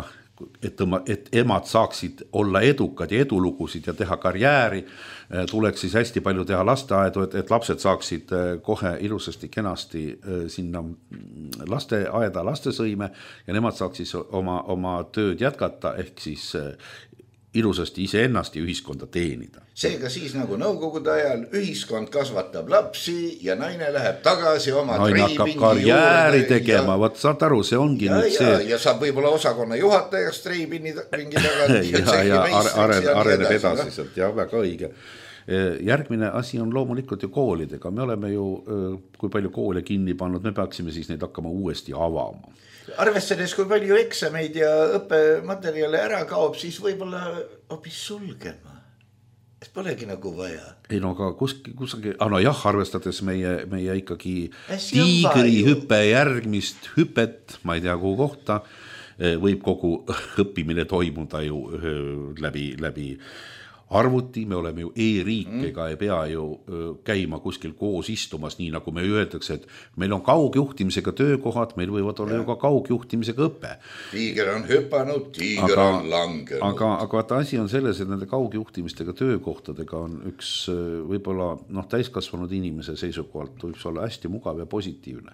et, tõma, et emad saaksid olla edukad ja edulugusid ja teha karjääri, tuleks siis hästi palju teha lasteaedu, et, et lapsed saaksid kohe ilusasti kenasti sinna lasteaeda lastesõime ja nemad saaks siis oma, oma tööd jätkata ehk siis ilusasti ise ennast ja ühiskonda teenida. Seega siis nagu nõukogude ajal ühiskond kasvatab lapsi ja naine läheb tagasi oma naine hakkab karjääri tegema, ja, võt saad aru, see ongi ja, nüüd ja, see. Ja saab võib-olla osakonna juhatajaks treibini ringi taga. ja, ja areneb, areneb edasi sealt, jah, väga õige. Järgmine asi on loomulikult ju koolidega. Me oleme ju, kui palju koole kinni pannud, me peaksime siis neid hakkama uuesti avama. Arvestades, kui palju eksameid ja õppematerjale ära kaob, siis võib-olla hoopis sulgema. Et polegi nagu vaja. Ei no aga kuski, kusagi, ah no jah, arvestades meie, meie ikkagi tiigri hüppe järgmist hüpet, ma ei tea kuhu kohta, võib kogu õppimine toimuda ju läbi, läbi arvuti, me oleme ju e-riik, ega ei pea ju käima kuskil koos istumas, nii nagu me öeldakse, et meil on kaugjuhtimisega töökohad, meil võivad olla ja. ju ka kaugjuhtimisega õpe. Tiiger on hüpanud, tiiger aga, on langenud. Aga, aga vaata asi on selles, et nende kaugjuhtimistega töökohtadega on üks võib-olla noh, täiskasvanud inimese seisukohalt võiks olla hästi mugav ja positiivne.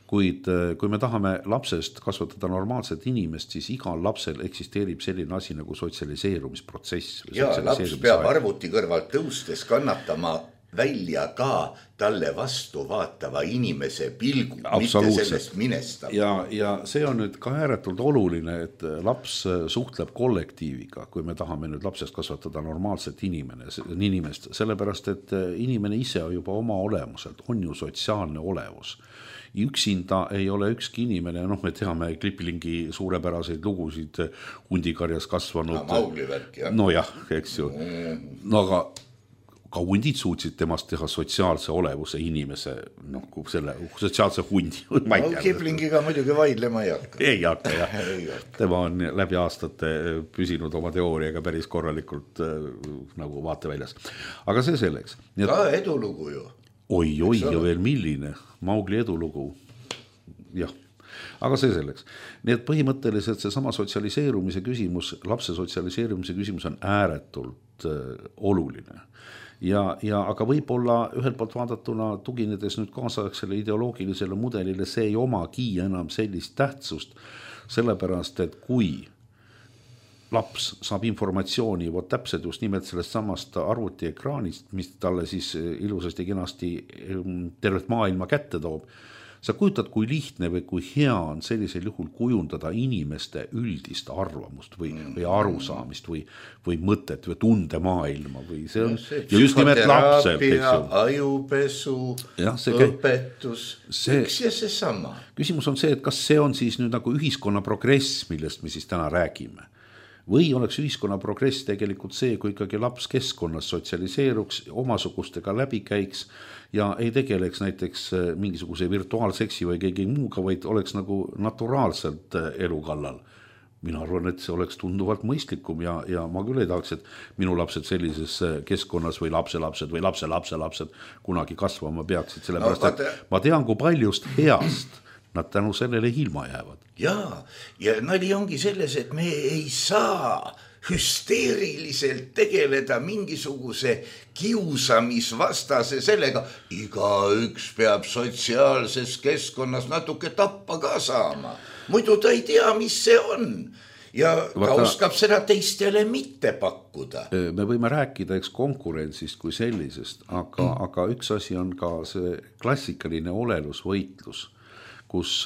Kuid kui me tahame lapsest kasvatada normaalset inimest, siis igal lapsel eksisteerib selline asi nagu sotsialiseerumisprotsess. Ja laps peab arvuti kõrvalt tõustes kannatama välja ka talle vastu vaatava inimese pilgu, mitte sellest minestama. Ja, ja see on nüüd ka ääretult oluline, et laps suhtleb kollektiiviga, kui me tahame nüüd lapsest kasvatada normaalset inimene, inimest, sellepärast, et inimene ise juba oma olemuselt on ju sotsiaalne olevus. Üksinda ei ole ükski inimene, noh me teame Klipilingi suurepäraseid lugusid hundikarjas kasvanud. No, Maugli värk, jah. No jah, eks ju. No aga ka hundid suutsid temast teha sotsiaalse olevuse inimese, noh, selle sotsiaalse hundi. No, Kiplingiga muidugi vaidlema ei hakka. Ei hakka, jah. Tema on läbi aastate püsinud oma teooriaga päris korralikult nagu vaateväljas. Aga see selleks. Ka edulugu ju. Oi, oi, ja veel milline. Maugli edulugu. Jah. Aga see selleks. Nii et põhimõtteliselt see sama sotsialiseerumise küsimus, lapse sotsialiseerumise küsimus on ääretult äh, oluline. Ja, ja aga võib-olla ühelt poolt vaadatuna tuginedes nüüd kaasaegsele ideoloogilisele mudelile, see ei omagi enam sellist tähtsust, sellepärast, et kui laps saab informatsiooni vot täpselt just nimelt sellest samast arvutiekraanist, mis talle siis ilusasti kenasti tervet maailma kätte toob, sa kujutad, kui lihtne või kui hea on sellisel juhul kujundada inimeste üldist arvamust või, või arusaamist või, või mõtet või tundemaailma või see on ja, ja just nimelt lapsel. Ajupesu, ja, õpetus, see, üks ja see sama. Küsimus on see, et kas see on siis nüüd nagu ühiskonna progress, millest me siis täna räägime. Või oleks ühiskonna progress tegelikult see, kui ikkagi laps keskkonnas sotsialiseeruks, omasugustega läbi käiks ja ei tegeleks näiteks mingisuguse virtuaalseksi või keegi muuga, vaid oleks nagu naturaalselt elu kallal. Mina arvan, et see oleks tunduvalt mõistlikum ja, ja ma küll ei tahaks, et minu lapsed sellises keskkonnas või lapselapsed või lapselapselapsed kunagi kasvama peaksid, sellepärast, no, vaata... et ma tean, kui paljust heast nad tänu sellele ilma jäävad. Jaa, ja nali ongi selles, et me ei saa hüsteeriliselt tegeleda mingisuguse kiusamisvastase sellega. Igaüks peab sotsiaalses keskkonnas natuke tappa ka saama. Muidu ta ei tea, mis see on. Ja ta Vaata, oskab seda teistele mitte pakkuda. Me võime rääkida eks konkurentsist kui sellisest, aga, mm. aga üks asi on ka see klassikaline olelusvõitlus, kus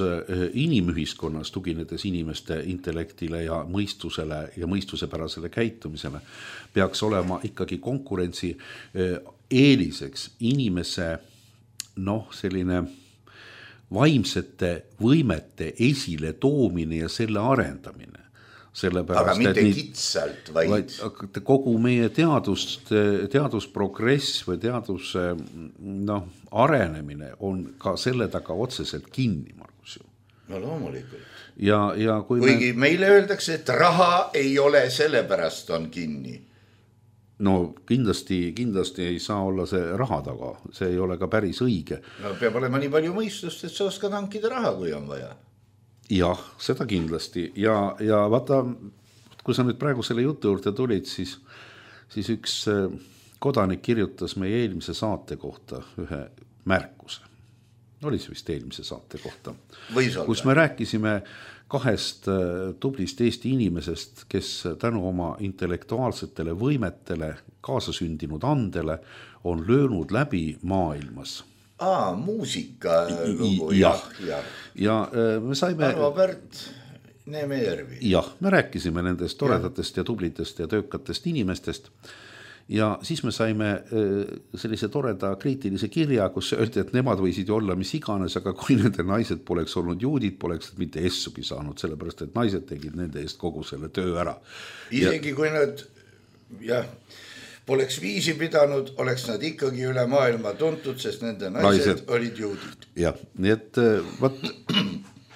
inimühiskonnas tuginedes inimeste intellektile ja mõistusele ja mõistusepärasele käitumisele peaks olema ikkagi konkurentsi eeliseks inimese noh, selline vaimsete võimete esile toomine ja selle arendamine. Aga mitte kitsalt, vaid... vaid kogu meie teadust, teadusprogress või teaduse no, arenemine on ka selle taga otseselt kinni, Margus. No loomulikult. Ja, ja kui Kuigi me... meile öeldakse, et raha ei ole sellepärast on kinni. No kindlasti, kindlasti ei saa olla see raha taga, see ei ole ka päris õige. No peab olema nii palju mõistust, et sa oskad hankida raha, kui on vaja. Jah, seda kindlasti ja, ja vaata, kui sa nüüd praegu selle jutu juurde tulid, siis, siis üks kodanik kirjutas meie eelmise saate kohta ühe märkuse. Oli see vist eelmise saate kohta. Kus me rääkisime kahest tublist Eesti inimesest, kes tänu oma intellektuaalsetele võimetele, kaasasündinud andele on löönud läbi maailmas. Aa, muusika lugu, jah. Ja, ja me saime... Arvo Pärt, Neemejärvi. Jah, me rääkisime nendest toredatest ja tublitest ja töökatest inimestest. Ja siis me saime sellise toreda kriitilise kirja, kus öeldi, et nemad võisid ju olla mis iganes, aga kui nende naised poleks olnud juudid, poleks nad mitte essugi saanud, sellepärast et naised tegid nende eest kogu selle töö ära. Isegi ja... kui nad... jah... Oleks viisi pidanud, oleks nad ikkagi üle maailma tuntud, sest nende naised, naised. olid juudid. Jah, nii et võt,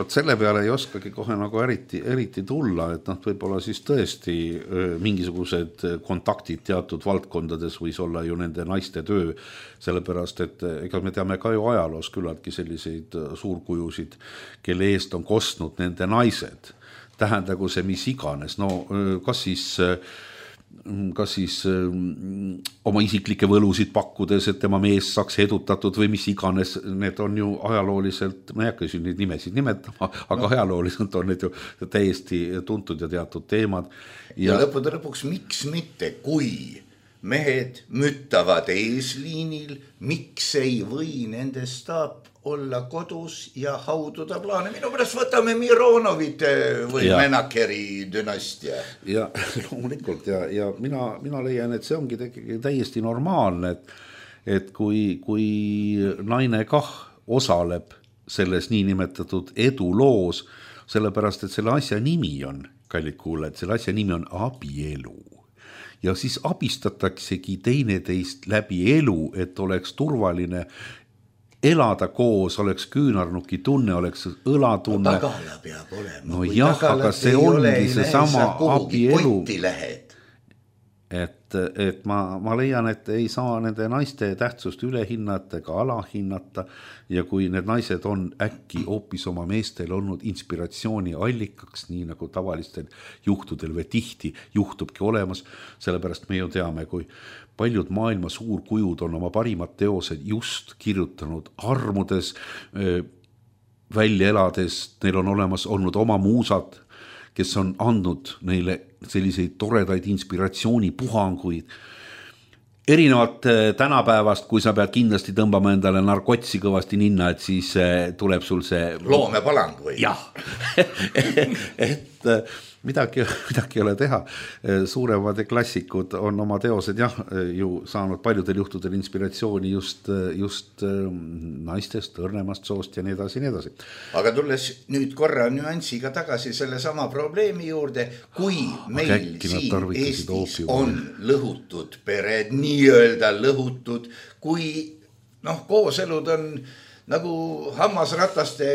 võt selle peale ei oskagi kohe nagu eriti, eriti tulla, et nad võib-olla siis tõesti mingisugused kontaktid teatud valdkondades võis olla ju nende naiste töö, sellepärast, et ega me teame ka ju ajaloos küllaltki selliseid suurkujusid, kelle eest on kostnud nende naised. Tähendagu see mis iganes, no kas siis... kas siis ähm, oma isiklikke võlusid pakkudes, et tema mees saaks edutatud või mis iganes, need on ju ajalooliselt, ma ei hakka siin neid nimesid nimetama, aga no. Ajalooliselt on need ju täiesti tuntud ja teatud teemad. Ja, ja lõppude lõpuks, miks mitte, kui mehed müttavad eesliinil, miks ei või nendest staap olla kodus ja haududa plaane. Minu pärast võtame Mironovit või ja. Menakeri dünastia. Ja loomulikult ja, ja mina, mina leian, et see ongi täiesti normaalne, et, et kui, kui naine kah osaleb selles niinimetatud eduloos, sellepärast, et selle asja nimi on, kallid kuulajad, selle asja nimi on abielu. ja siis abistataksegi teineteist läbi elu, et oleks turvaline elada koos, oleks küünarnuki tunne, oleks õlatunne. No tagala peab olema. No jah, aga see ongi see sama abielu. Et, et ma, ma leian, et ei saa nende naiste tähtsust ülehinnata ega alahinnata ja kui need naised on äkki hoopis oma meestel olnud inspiratsiooni allikaks, nii nagu tavalistel juhtudel või tihti juhtubki olemas, sellepärast me ju teame, kui paljud maailma suurkujud on oma parimad teosed just kirjutanud armudes, välja elades, neil on olemas olnud oma muusad, kes on andnud neile selliseid toredaid inspiratsioonipuhanguid. Erinevalt tänapäevast, kui sa pead kindlasti tõmbama endale narkotsi kõvasti ninna, et siis tuleb sul see... Loomepalang või? Jah, et midagi, midagi ei ole teha. Suuremad klassikud on oma teosed jah, ju saanud paljudel juhtudel inspiratsiooni just, just naistest, õrnemast soost ja nii edasi, nii edasi. Aga tulles nüüd korra nüansiga tagasi selle sama probleemi juurde, kui meil Äkki siin Eestis on lõhutud pered, nii-öelda lõhutud, kui noh, kooselud on nagu hammasrataste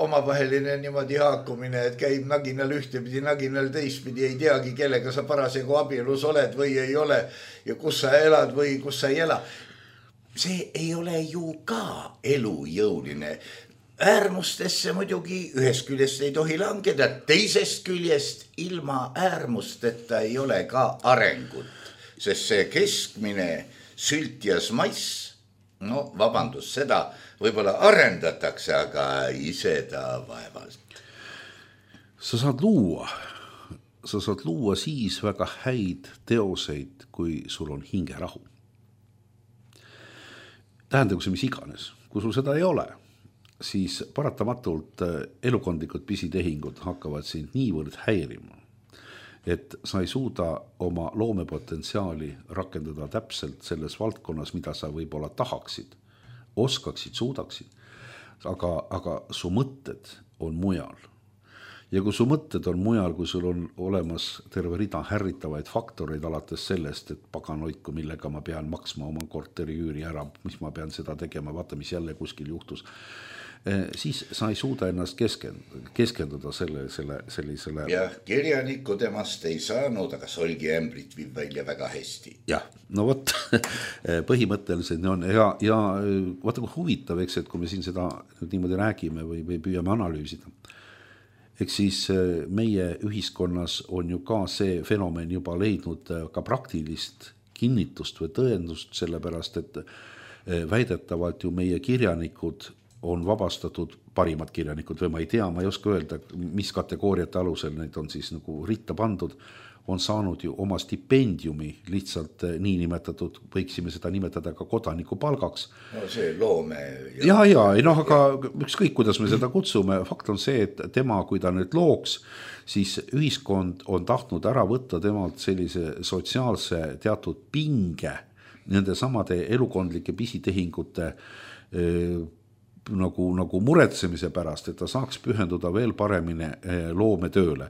omavaheline niimoodi haakumine, et käib naginal ühtepidi, naginal teistpidi, ei teagi, kellega sa parasjagu abielus oled või ei ole ja kus sa elad või kus sa ei ela. See ei ole ju ka elujõuline. Äärmustesse muidugi ühest küljest ei tohi langeda, teisest küljest ilma äärmusteta ei ole ka arengut, sest see keskmine sültjas mass, no vabandus, seda võib-olla arendatakse, aga ise ta vaevalt. Sa saad luua, sa saad luua siis väga häid teoseid, kui sul on hingerahu. Tähendagu see mis iganes, kui sul seda ei ole, siis paratamatult elukondlikud pisitehingud hakkavad sind niivõrd häirima, et sa ei suuda oma loomepotentsiaali rakendada täpselt selles valdkonnas, mida sa võib-olla tahaksid, oskaksid, suudaksid, aga, aga su mõtted on mujal. Ja kui su mõtted on mujal, kui sul on olemas terve rida härritavaid faktoreid alates sellest, et paganoiku, millega ma pean maksma oma korteri üüri ära, mis ma pean seda tegema, vaata, mis jälle kuskil juhtus, siis sa ei suuda ennast keskenduda, keskenduda selle, selle, sellisele... Jah, kirjanikku temast ei saanud, aga solgi ämbrit viib välja väga hästi. Jah, no võt, põhimõtteliselt on ja, ja vaata kui huvitav, eks, et kui me siin seda niimoodi räägime või, või püüame analüüsida, eks siis meie ühiskonnas on ju ka see fenomen juba leidnud ka praktilist kinnitust või tõendust, sellepärast, et väidetavalt ju meie kirjanikud on vabastatud, parimad kirjanikud või ma ei tea, ma ei oska öelda, mis kategooriate alusel neid on siis nagu ritta pandud, on saanud ju oma stipendiumi lihtsalt niinimetatud, võiksime seda nimetada ka kodaniku palgaks. No see loome... Ja, ja, ja no, aga ükskõik, kuidas me seda kutsume, fakt on see, et tema, kui ta nüüd looks, siis ühiskond on tahtnud ära võtta temalt sellise sotsiaalse teatud pinge nende samade elukondlike pisitehingute Nagu, nagu muretsemise pärast, et ta saaks pühenduda veel paremini loometööle.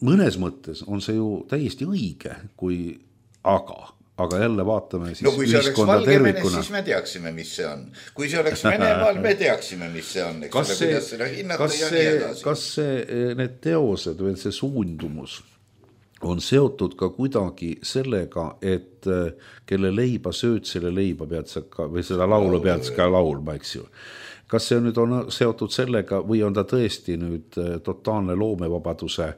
Mõnes mõttes on see ju täiesti õige, kui aga, aga jälle vaatame siis no kui see oleks Valgevenes, siis me teaksime, mis see on. Kui see oleks Venemaal, me teaksime, mis see on. Kas see, kas, see, kas see, need teosed või see suundumus on seotud ka kuidagi sellega, et kelle leiba sööd, selle leiba pead sa ka, või seda laulu pead ka laulma, eks ju. Kas see nüüd on seotud sellega või on ta tõesti nüüd totaalne loomevabaduse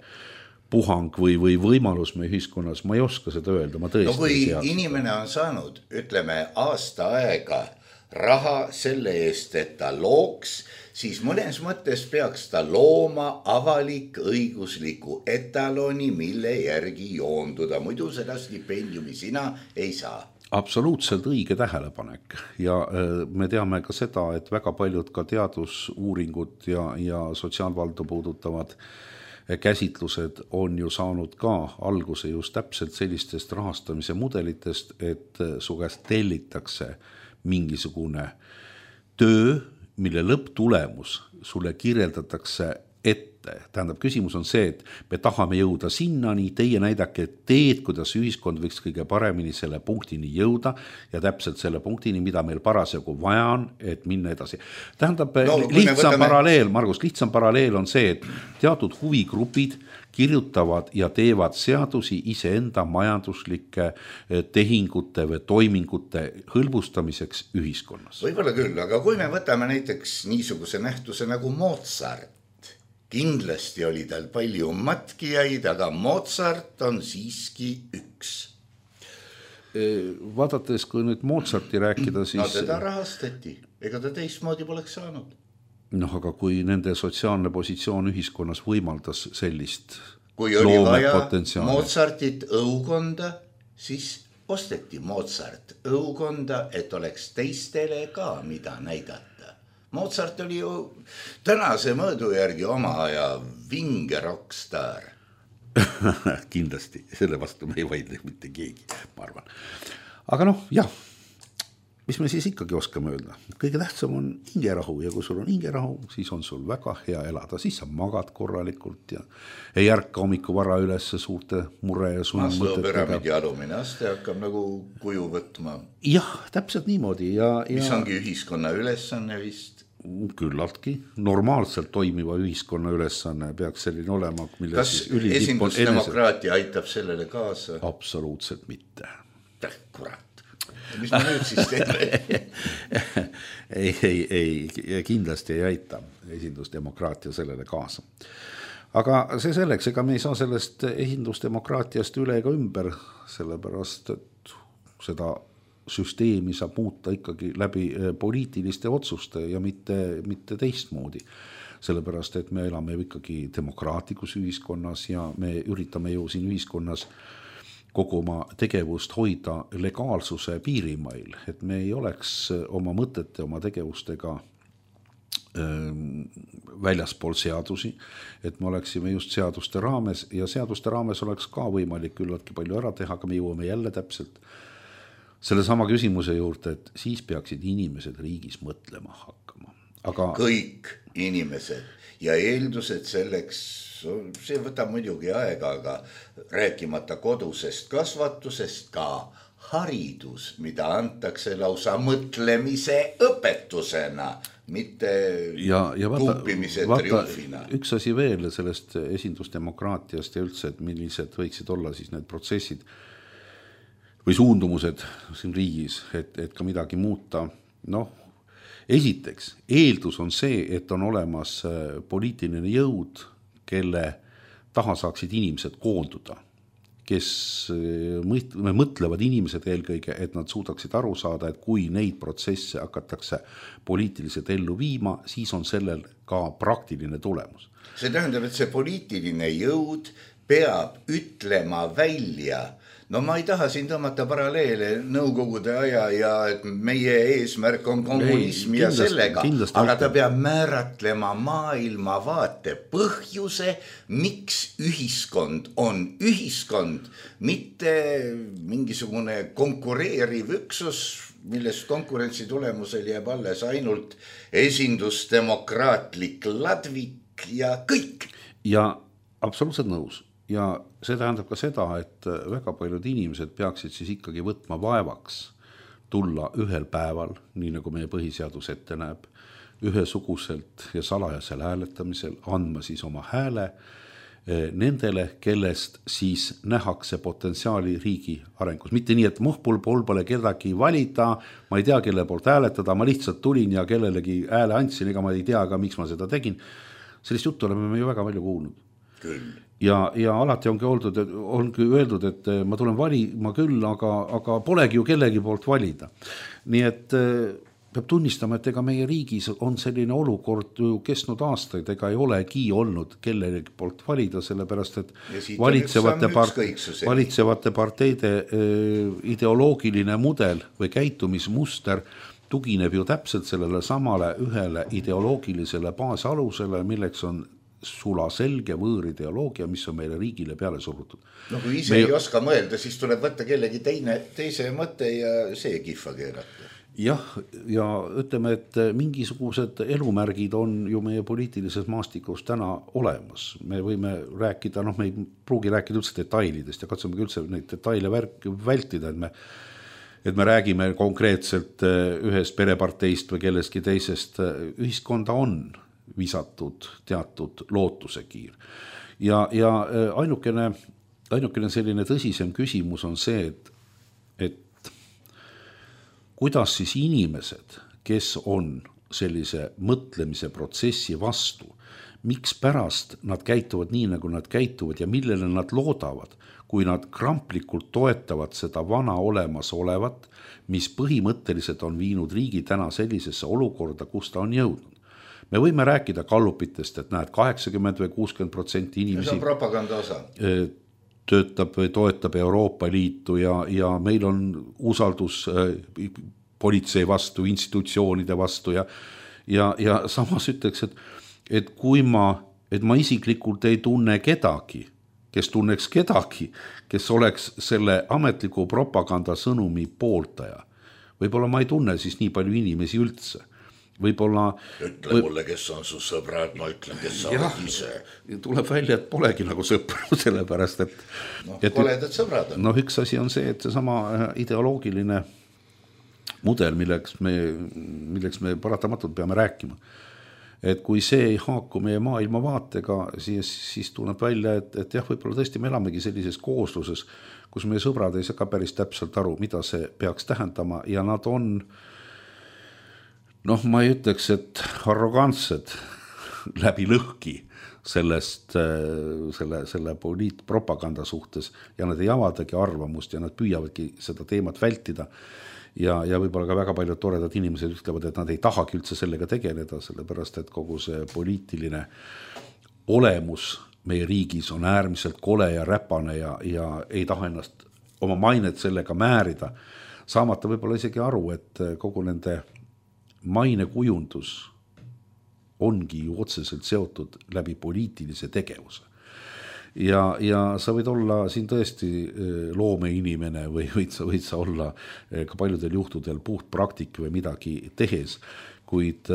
puhang või, või võimalus meie ühiskonnas? Ma ei oska seda öelda, ma tõesti no, kui ei tea. Inimene on saanud, ütleme, aasta aega raha selle eest, et ta looks, siis mõnes mõttes peaks ta looma avalik õigusliku etaloni, mille järgi joonduda. Muidu seda stipendiumi sina ei saa. Absoluutselt õige tähelepanek ja me teame ka seda, et väga paljud ka teadusuuringud ja, ja sotsiaalvaldu puudutavad käsitlused on ju saanud ka alguse just täpselt sellistest rahastamise mudelitest, et su käest tellitakse mingisugune töö, mille lõpptulemus sulle kirjeldatakse ette. Tähendab, küsimus on see, et me tahame jõuda sinnani, teie näidake teed, kuidas ühiskond võiks kõige paremini selle punktini jõuda ja täpselt selle punktini, mida meil parasjagu vaja on, et minna edasi. Tähendab, no, lihtsam võtame... paralleel, Margus, lihtsam paralleel on see, et teatud huvigrupid kirjutavad ja teevad seadusi iseenda majanduslike tehingute või toimingute hõlbustamiseks ühiskonnas. Võib-olla küll, aga kui me võtame näiteks niisuguse nähtuse nagu Mozart, kindlasti oli tal palju matkijaid, aga Mozart on siiski üks. Vaadates, kui nüüd Mozarti rääkida, siis... No teda rahastati, ega ta teistmoodi poleks saanud. Noh, aga kui nende sotsiaalne positsioon ühiskonnas võimaldas sellist kui oli vaja Mozartit õukonda, siis osteti Mozart õukonda, et oleks teistele ka mida näidata. Mozart oli ju tänase mõõdu järgi oma aja vinge rockstar. Kindlasti, selle vastu me ei vaidle mitte keegi, ma arvan. Aga noh, jah, mis me siis ikkagi oskame öelda? Kõige tähtsam on hingerahu ja kui sul on hingerahu, siis on sul väga hea elada. Siis sa magad korralikult ja ei ärka hommiku vara üles suurte mure ja Maslow püramiidi alumine aste hakkab nagu kuju võtma. Jah, täpselt niimoodi. Ja, ja... mis ongi ühiskonna ülesanne vist? Küllaltki. Normaalselt toimiva ühiskonna ülesanne peaks selline olema. Kas esindusdemokraatia enese... aitab sellele kaasa? Absoluutselt mitte. Kurat. Mis ma nüüd siis teeme? ei, ei, ei, kindlasti ei aita esindusdemokraatia sellele kaasa. Aga see selleks, ega me ei saa sellest esindusdemokraatiast üle ega ümber, sellepärast, et seda süsteemi saab muuta ikkagi läbi poliitiliste otsuste ja mitte, mitte teistmoodi. Sellepärast, et me elame ikkagi demokraatlikus ühiskonnas ja me üritame ju siin ühiskonnas kogu oma tegevust hoida legaalsuse piirimail, et me ei oleks oma mõtete, oma tegevustega väljaspool seadusi, et me oleksime just seaduste raames ja seaduste raames oleks ka võimalik küllaltki palju ära teha, aga me jõuame jälle täpselt selle sama küsimuse juurde, et siis peaksid inimesed riigis mõtlema hakkama. Aga... kõik inimesed ja eeldused selleks, see võtab muidugi aega, aga rääkimata kodusest kasvatusest, ka haridus, mida antakse lausa mõtlemise õpetusena, mitte ja, ja vaata, tuupimise vaata, triumfina. Üks asi veel sellest esindusdemokraatiast ja üldse, et millised võiksid olla siis need protsessid või suundumused siin riigis, et, et ka midagi muuta. Noh, esiteks, eeldus on see, et on olemas poliitiline jõud, kelle taha saaksid inimesed koonduda, kes mõtlevad inimesed eelkõige, et nad suudaksid aru saada, et kui neid protsesse hakatakse poliitiliselt ellu viima, siis on sellel ka praktiline tulemus. See tähendab, et see poliitiline jõud peab ütlema välja. No ma ei taha siin tõmmata paralleele nõukogude aja ja et meie eesmärk on kommunism ei, ja kindlasti, sellega, kindlasti aga ta peab määratlema maailmavaate põhjuse, miks ühiskond on ühiskond, mitte mingisugune konkureeriv üksus, millest konkurentsi tulemusel jääb alles ainult esindusdemokraatlik ladvik ja kõik. Ja absoluutselt nõus. Ja see tähendab ka seda, et väga paljud inimesed peaksid siis ikkagi võtma vaevaks tulla ühel päeval, nii nagu meie põhiseadus ette näeb, ühesuguselt ja salajasel hääletamisel andma siis oma hääle nendele, kellest siis nähakse potentsiaali riigi arengus. Mitte nii, et muhpul pool pole kedagi valida, ma ei tea, kelle poolt hääletada, ma lihtsalt tulin ja kellelegi hääle andsin, ega ma ei tea ka, miks ma seda tegin. Sellist juttu oleme me ju väga palju kuulnud. Küll. Ja, ja alati ongi öeldud, et, ongi öeldud, et ma tulen valima küll, aga, aga polegi ju kellegi poolt valida. Nii et peab tunnistama, et ega meie riigis on selline olukord ju kestnud aastaid, ega ei olegi olnud kellegi poolt valida, sellepärast, et valitsevate, part, valitsevate parteide ideoloogiline mudel või käitumismuster tugineb ju täpselt sellele samale ühele ideoloogilisele baasalusele, milleks on sula selge võõr ideoloogia, mis on meile riigile peale surutud. No kui ise Me... ei oska mõelda, siis tuleb võtta kellegi teine, teise mõtte ja see kihva keerata. jah, ja ütleme, et mingisugused elumärgid on ju meie poliitilises maastikus täna olemas. Me võime rääkida, noh, me ei pruugi rääkida üldse detailidest ja katsume üldse neid detaile vältida, et me, et me räägime konkreetselt ühest pereparteist või kellestki teisest. Ühiskonda on visatud teatud lootusekiir. Ja, ja ainukene, ainukene selline tõsisem küsimus on see, et, et kuidas siis inimesed, kes on sellise mõtlemise protsessi vastu, miks pärast nad käituvad nii, nagu nad käituvad ja millele nad loodavad, kui nad kramplikult toetavad seda vana olemas olevat, mis põhimõtteliselt on viinud riigi täna sellisesse olukorda, kus ta on jõudnud. Me võime rääkida kallupitest, et näed, kaheksakümmend või kuuskümmend protsenti inimesi... See on propaganda osa. töötab või toetab Euroopa Liitu ja, ja meil on usaldus politsei vastu, institutsioonide vastu ja, ja, ja samas ütleks, et, et kui ma, et ma isiklikult ei tunne kedagi, kes tunneks kedagi, kes oleks selle ametliku propaganda sõnumi pooltaja. Võib-olla ma ei tunne siis nii palju inimesi üldse. Võib-olla... Ütle mulle, kes on su sõbrad, ma ütlen, kes sa oled ise. Tuleb välja, et polegi nagu sõpru, sellepärast, et... No, et koledad sõbrad on. No üks asi on see, et see sama ideoloogiline mudel, milleks me, milleks me paratamatult peame rääkima. Et kui see ei haaku meie maailma vaatega, siis, siis tuleb välja, et, et jah, võib-olla tõesti me elamegi sellises koosluses, kus meie sõbrad ei saa ka päris täpselt aru, mida see peaks tähendama ja nad on... Noh, ma ei ütleks, et arrogantsed läbi lõhki sellest, selle, selle poliitpropaganda suhtes ja nad ei avadagi arvamust ja nad püüavadki seda teemat vältida. Ja, ja võib-olla ka väga paljud toredad inimesed ütlevad, et nad ei tahagi üldse sellega tegeleda, sellepärast et kogu see poliitiline olemus meie riigis on äärmiselt kole ja räpane ja, ja ei taha ennast oma mainet sellega määrida. Saamata võib-olla isegi aru, et kogu nende maine kujundus ongi ju otseselt seotud läbi poliitilise tegevuse. Ja, ja sa võid olla siin tõesti loomeinimene või võid sa, võid sa olla ka paljudel juhtudel puht praktik või midagi tehes, kuid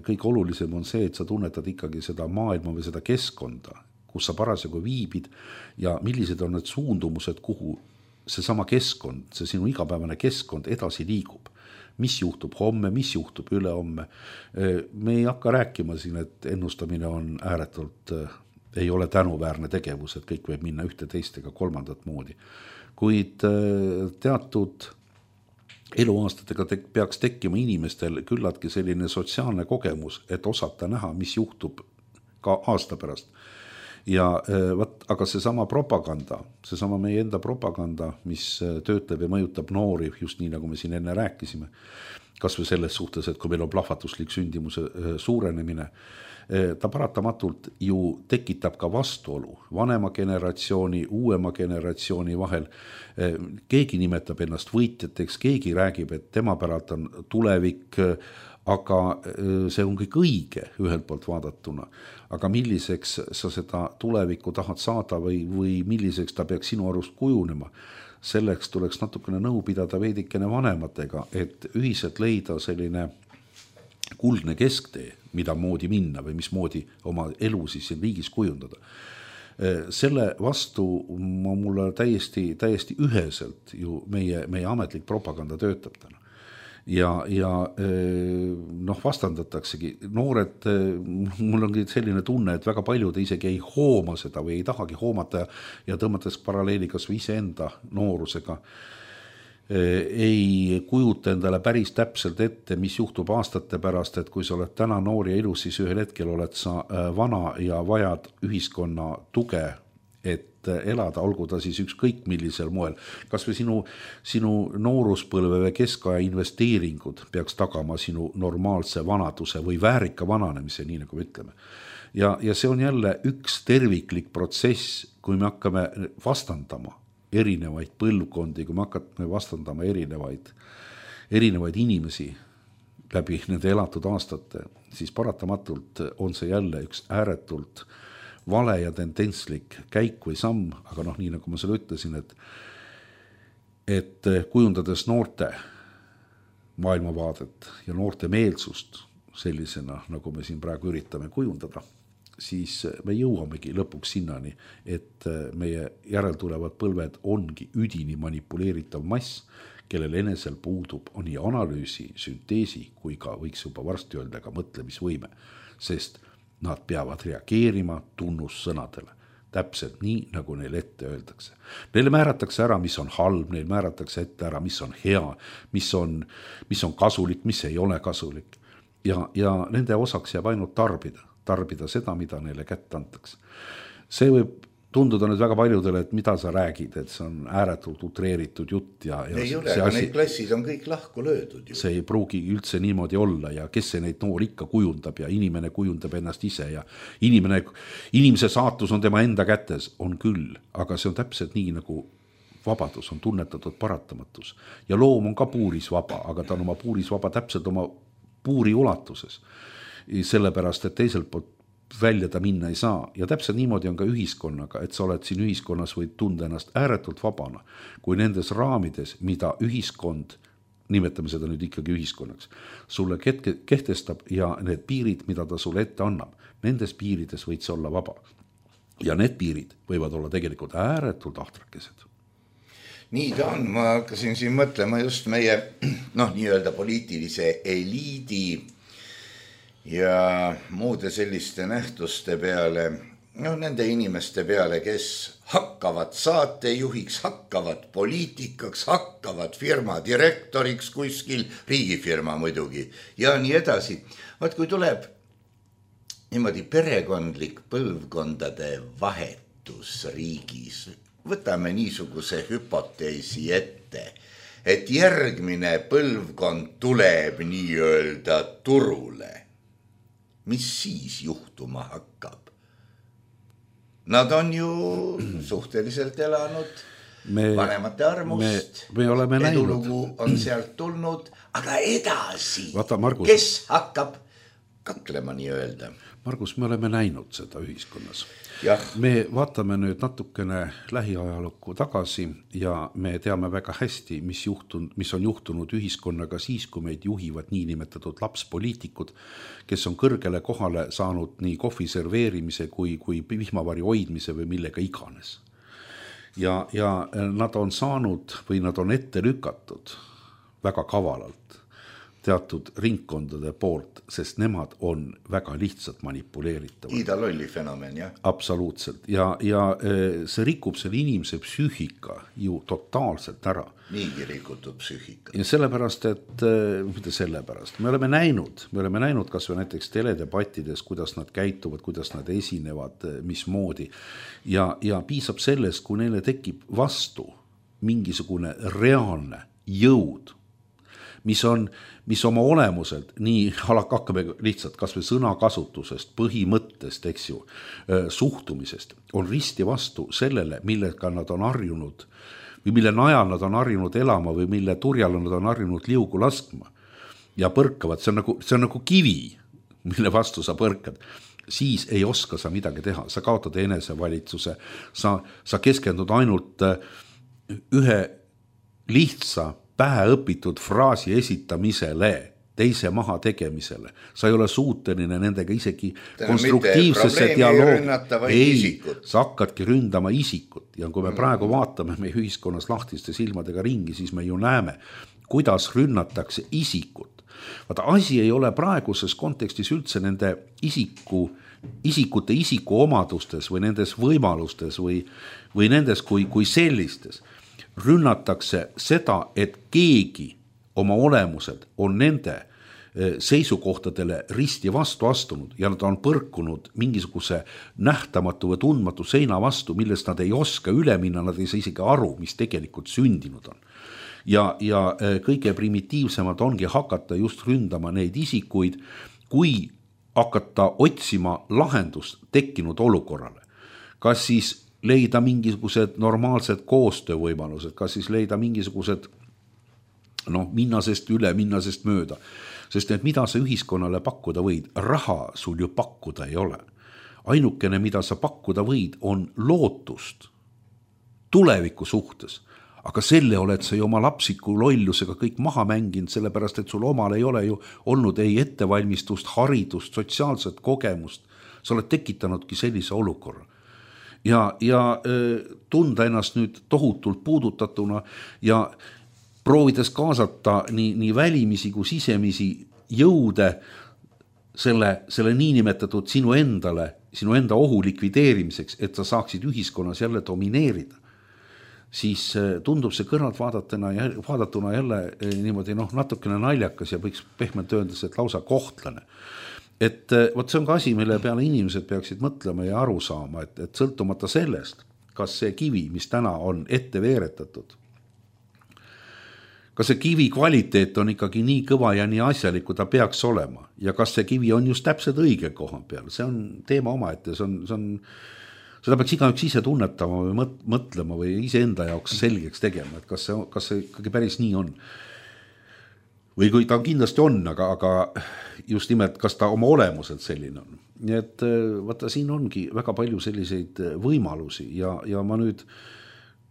kõik olulisem on see, et sa tunnetad ikkagi seda maailma või seda keskkonda, kus sa parasjagu viibid ja millised on need suundumused, kuhu see sama keskkond, see sinu igapäevane keskkond edasi liigub. Mis juhtub homme, mis juhtub ülehomme. Me ei hakka rääkima siin, et ennustamine on ääretult, ei ole tänuväärne tegevus, et kõik võib minna ühte teist ega kolmandat moodi. Kuid teatud eluaastatega te, peaks tekkima inimestel küllaltki selline sotsiaalne kogemus, et osata näha, mis juhtub ka aasta pärast. Ja võt, aga see sama propaganda, see sama meie enda propaganda, mis töötleb ja mõjutab noori, just nii nagu me siin enne rääkisime, kas või selles suhtes, et kui meil on plahvatuslik sündimuse suurenemine, ta paratamatult ju tekitab ka vastuolu vanema generatsiooni, uuema generatsiooni vahel. Keegi nimetab ennast võitjateks, keegi räägib, et tema päralt on tulevik, aga see on kõik õige ühelt poolt vaadatuna. Aga milliseks sa seda tulevikku tahad saada või, või milliseks ta peaks sinu arust kujunema? Selleks tuleks natukene nõu pidada veidikene vanematega, et ühiselt leida selline kuldne kesktee, mida moodi minna või mis moodi oma elu siis siin riigis kujundada. Selle vastu mulle täiesti, täiesti üheselt ju meie, meie ametlik propaganda töötab täna. Ja, ja noh, vastandataksegi. Noored, mul ongi selline tunne, et väga paljud isegi ei hooma seda või ei tahagi hoomata ja tõmmates paralleeli kas või iseenda noorusega ei kujuta endale päris täpselt ette, mis juhtub aastate pärast, et kui sa oled täna noor ja ilus, siis ühel hetkel oled sa vana ja vajad ühiskonna tuge, et elada, olgu ta siis ükskõik millisel moel. Kas või sinu, sinu nooruspõlve või keskaja investeeringud peaks tagama sinu normaalse vanaduse või väärika vananemise, nii nagu me ütleme. Ja, ja see on jälle üks terviklik protsess, kui me hakkame vastandama erinevaid põlvkondi, kui me hakkame vastandama erinevaid, erinevaid inimesi läbi nende elatud aastate, siis paratamatult on see jälle üks ääretult vale ja tendentslik käik või samm, aga noh, nii nagu ma selle ütlesin, et, et kujundades noorte maailmavaadet ja noorte meelsust sellisena, nagu me siin praegu üritame kujundada, siis me jõuamegi lõpuks sinnani, et meie järeltulevad põlved ongi üdini manipuleeritav mass, kellel enesel puudub nii analüüsi, sünteesi kui ka võiks juba varsti öelda ka mõtlemisvõime, sest nad peavad reageerima tunnussõnadele. Täpselt nii, nagu neil ette öeldakse. Neile määratakse ära, mis on halb, neil määratakse ette ära, mis on hea, mis on, mis on kasulik, mis ei ole kasulik. Ja, ja nende osaks jääb ainult tarbida, tarbida seda, mida neile kätte antakse. See võib tunduda nüüd väga paljudele, et mida sa räägid, et see on ääretult utreeritud jutt. Ja, ja ei ole, aga asi, need klassid on kõik lahku löödud. Ju. See ei pruugi üldse niimoodi olla ja kes see neid noor ikka kujundab ja inimene kujundab ennast ise ja inimene, inimese saatus on tema enda kätes, on küll, aga see on täpselt nii nagu vabadus on tunnetatud paratamatus. Ja loom on ka puuris vaba, aga ta on oma puuris vaba täpselt oma puuri ulatuses. Sellepärast, et teiselt poolt välja ta minna ei saa ja täpselt niimoodi on ka ühiskonnaga, et sa oled siin ühiskonnas võid tunda ennast ääretult vabana, kui nendes raamides, mida ühiskond, nimetame seda nüüd ikkagi ühiskonnaks, sulle kehtestab ja need piirid, mida ta sulle ette annab, nendes piirides võid sa olla vaba. Ja need piirid võivad olla tegelikult ääretult ahtrakesed. Nii ta on, ma hakkasin siin mõtlema just meie noh, nii-öelda poliitilise eliidi ja muude selliste nähtuste peale, no nende inimeste peale, kes hakkavad saatejuhiks, hakkavad poliitikaks, hakkavad firma direktoriks kuskil, riigifirma muidugi ja nii edasi. Vaat kui tuleb niimoodi perekondlik põlvkondade vahetus riigis, võtame niisuguse hüpoteesi ette, et järgmine põlvkond tuleb nii-öelda turule. Mis siis juhtuma hakkab? Nad on ju suhteliselt elanud me, vanemate armust, me, me edulugu on sealt tulnud, aga edasi, Vaata, Margus, kes hakkab kaklema nii-öelda? Margus, me oleme näinud seda ühiskonnas. Ja. Me vaatame nüüd natukene lähiajalukku tagasi ja me teame väga hästi, mis, juhtun, mis on juhtunud ühiskonnaga siis, kui meid juhivad niinimetatud lapspoliitikud, kes on kõrgele kohale saanud nii kohvi serveerimise kui, kui vihmavari hoidmise või millega iganes. Ja, ja nad on saanud või nad on ette lükatud väga kavalalt teatud ringkondade poolt, sest nemad on väga lihtsalt manipuleeritavad. Ida lolli fenomen, jah? Absoluutselt. Ja, ja see rikub selle inimese psüühika ju totaalselt ära. Niigi rikutud psüühika. Ja sellepärast, et mitte sellepärast. Me oleme näinud, me oleme näinud kas või näiteks teledebattides, kuidas nad käituvad, kuidas nad esinevad, mis moodi. Ja, ja piisab sellest, kui neile tekib vastu mingisugune reaalne jõud, mis on, mis oma olemuselt, nii hakkame lihtsalt kas või sõnakasutusest, põhimõttest, eks ju, suhtumisest, on risti vastu sellele, millega nad on harjunud või mille najal nad on harjunud elama või mille turjal nad on harjunud liugu laskma ja põrkavad, see on nagu, see on nagu kivi, mille vastu sa põrkad, siis ei oska sa midagi teha, sa kaotad enesevalitsuse, sa, sa keskendud ainult ühe lihtsa päheõpitud fraasi esitamisele, teise maha tegemisele. Sa ei ole suuteline nendega isegi konstruktiivsesse dialoogi. Ei, sa hakkadki ründama isikut. Ja kui me praegu vaatame meie ühiskonnas lahtiste silmadega ringi, siis me ju näeme, kuidas rünnatakse isikut. Vaata, asi ei ole praeguses kontekstis üldse nende isiku, isikute isiku omadustes või nendes võimalustes või, või nendes kui, kui sellistes. Rünnatakse seda, et keegi oma olemused on nende seisukohtadele risti vastu astunud ja nad on põrkunud mingisuguse nähtamatu või tundmatu seina vastu, millest nad ei oska üle minna, nad ei saa isegi aru, mis tegelikult sündinud on. Ja, ja kõige primitiivsemad ongi hakata just ründama neid isikuid, kui hakata otsima lahendust tekkinud olukorrale. Kas siis leida mingisugused normaalsed koostöövõimalused, kas siis leida mingisugused noh, minnasest üle, minnasest mööda. Sest et mida sa ühiskonnale pakkuda võid, raha sul ju pakkuda ei ole. Ainukene, mida sa pakkuda võid, on lootust tuleviku suhtes. aga selle oled sa ju oma lapsiku lollusega kõik maha mänginud, sellepärast, et sul omal ei ole ju olnud ei ettevalmistust, haridust, sotsiaalset kogemust. Sa oled tekitanudki sellise olukorra. Ja, ja tunda ennast nüüd tohutult puudutatuna ja proovides kaasata nii, nii välimisi kui sisemisi jõude selle, selle niinimetatud sinu endale, sinu enda ohu likvideerimiseks, et sa saaksid ühiskonnas jälle domineerida. Siis tundub see kõrvalt vaadatuna, vaadatuna jälle niimoodi noh, natukene naljakas ja võiks pehmelt öeldes, et lausa kohtlane. Et võt see on ka asi, mille peale inimesed peaksid mõtlema ja aru saama, et, et sõltumata sellest, kas see kivi, mis täna on ette veeretatud, kas see kivi kvaliteet on ikkagi nii kõva ja nii asjalik, kui ta peaks olema ja kas see kivi on just täpselt õige koha peal, see on teema omaette, see on, see on seda peaks igaüks ise tunnetama või mõtlema või ise enda jaoks selgeks tegema, et kas see, kas see ikkagi päris nii on. Või kui ta kindlasti on, aga, aga just nimelt, kas ta oma olemuselt selline on. Nii et vaata, siin ongi väga palju selliseid võimalusi ja, ja ma nüüd,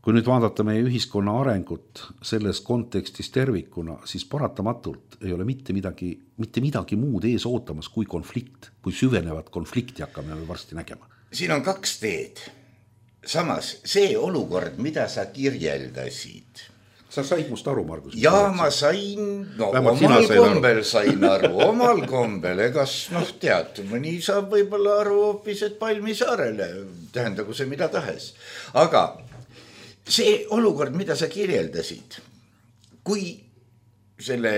kui nüüd vaadata meie ühiskonna arengut selles kontekstis tervikuna, siis paratamatult ei ole mitte midagi, mitte midagi muud ees ootamas kui konflikt, kui süvenevat konflikti hakkame varsti nägema. Siin on kaks teed. Samas, see olukord, mida sa kirjeldasid. Sa said must aru, Margus? Ja ma sain, no Vähemalt omal kombel aru. sain aru, omal kombel, egas noh tead, mõni saab võib-olla aru hoopis, et Palmisaarele, tähendagu see mida tahes. Aga see olukord, mida sa kirjeldasid, kui selle,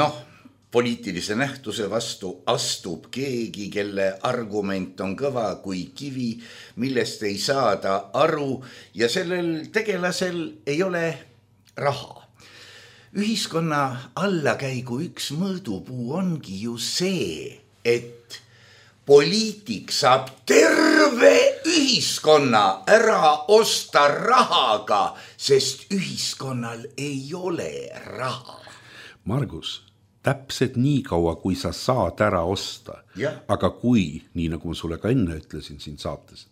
noh, poliitilise nähtuse vastu astub keegi, kelle argument on kõva kui kivi, millest ei saada aru ja sellel tegelasel ei ole raha. Ühiskonna allakäigu üks mõõdupuu ongi ju see, et poliitik saab terve ühiskonna ära osta rahaga, sest ühiskonnal ei ole raha. Margus, täpselt nii kaua, kui sa saad ära osta, ja. Aga kui, nii nagu ma sulle ka enne ütlesin siin saates,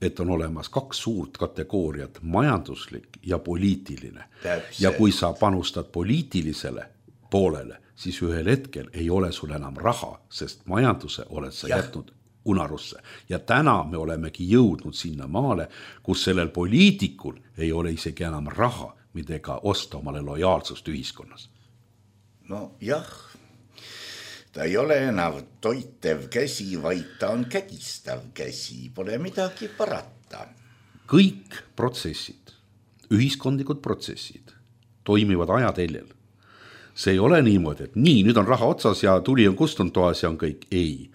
et on olemas kaks suurt kategooriat, majanduslik ja poliitiline. Täpselt. Ja kui sa panustad poliitilisele poolele, siis ühel hetkel ei ole sul enam raha, sest majanduse oled sa ja. jätnud unarusse. Ja täna me olemegi jõudnud sinna maale, kus sellel poliitikul ei ole isegi enam raha, midega osta omale lojaalsust ühiskonnas. No jah, ta ei ole enam toitev käsi, vaid ta on kägistav käsi, pole midagi parata. Kõik protsessid, ühiskondlikud protsessid toimivad ajateljel. See ei ole niimoodi, et nii, nüüd on raha otsas ja tuli on kustunud toas ja on kõik. Ei,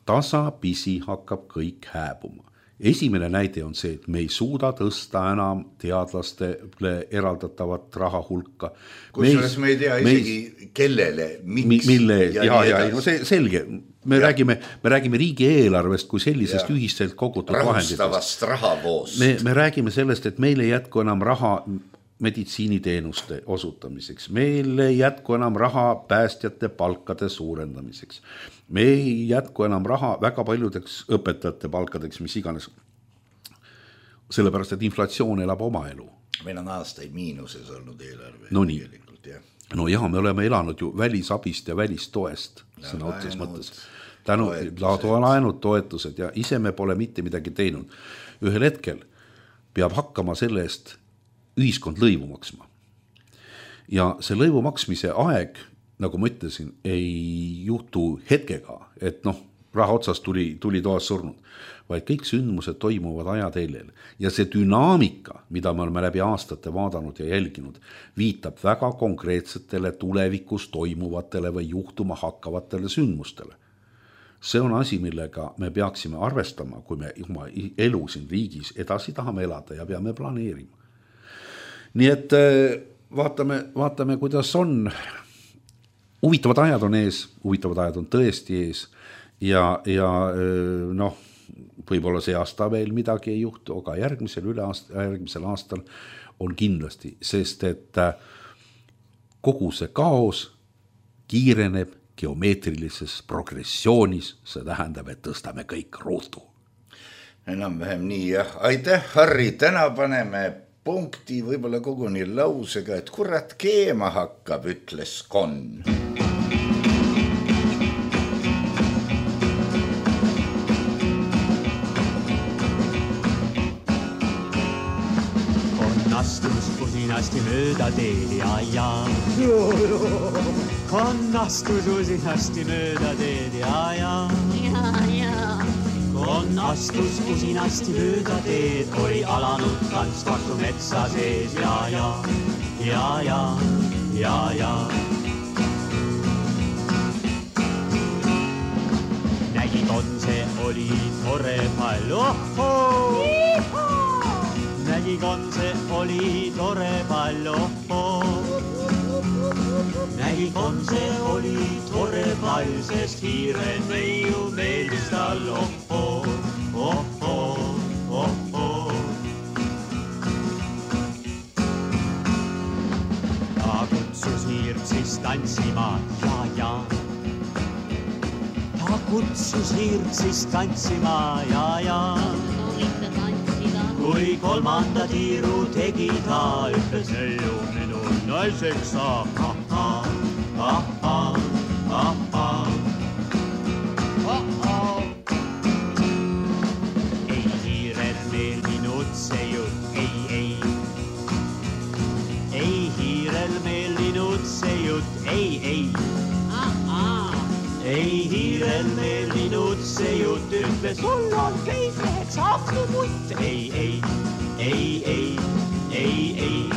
tasapisi hakkab kõik hääbuma. Esimene näide on see, et me ei suuda tõsta enam teadlastele eraldatavat raha hulka. Kusjuures me ei tea isegi me, kellele, miks. Mille, ja, ja, ja no see selge. Me ja. räägime, me räägime riigieelarvest kui sellisest ja. ühiselt kogutud vahenditest. Rahustavast rahavoost. Me, me räägime sellest, et meil ei jätku enam raha meditsiiniteenuste osutamiseks. Meil ei jätku enam raha päästjate palkade suurendamiseks. Me ei jätku enam raha väga paljudeks õpetajate palkadeks, mis iganes. Sellepärast, et inflatsioon elab oma elu. Meil on aastaid miinuses olnud eelarve. No nii. Ja. No jah, me oleme elanud ju välisabist ja välistoest. Sõna otses mõttes. Tänu laenud toetused ja ise me pole mitte midagi teinud. Ühel hetkel peab hakkama selle eest ühiskond lõivu maksma. Ja see lõivu maksmise aeg, nagu ma ütlesin, ei juhtu hetkega, et noh, raha otsast tuli, tuli toas surnud, vaid kõik sündmused toimuvad ajateljel. Ja see dünaamika, mida me oleme läbi aastate vaadanud ja jälginud, viitab väga konkreetsetele tulevikus toimuvatele või juhtuma hakkavatele sündmustele. See on asi, millega me peaksime arvestama, kui me oma elu siin riigis edasi tahame elada ja peame planeerima. Nii et vaatame, vaatame, kuidas on. Huvitavad ajad on ees, huvitavad ajad on tõesti ees ja, ja noh, võib-olla see aasta veel midagi ei juhtu, aga järgmisel, üle aasta, järgmisel aastal on kindlasti, sest et kogu see kaos kiireneb geomeetrilises progressioonis, see tähendab, et tõstame kõik ruutu. Enam vähem nii, jah. Aitäh, Harri, täna paneme punkti, võib-olla koguni lausega, et kurat keema hakkab, ütles Kon. Astus usinasti mööda teed ja ja Kon astus usinasti mööda teed ja ja Kon astus usinasti mööda teed, oli alanud tants vastu metsa sees ja ja ja ja ja ja nägi Kon, see oli tore pall, ohoo nägi Kon, see oli tore pall, ohoo nägi Kon, see oli tore pall, sest hiiren neiu meeldis tal, ohoo, ohoo, ohoo. Ta kutsus hiirt siis tantsima ja ja Ta kutsus hiirt siis tantsima ja ja kui kolmanda tiiru tegi ta, ütles neiu minu naiseks saab, ahhaa, ahhaa, ahhaa, ahhaa. Ei hiirel meil minutse jutt, ei, ei. Ei hiirel meil minutse jutt, ei, ei. Ei hiirel meil minutse jutt, ütles sul on teiseks akluputt, ei, ei, ei, ei, ei, ei.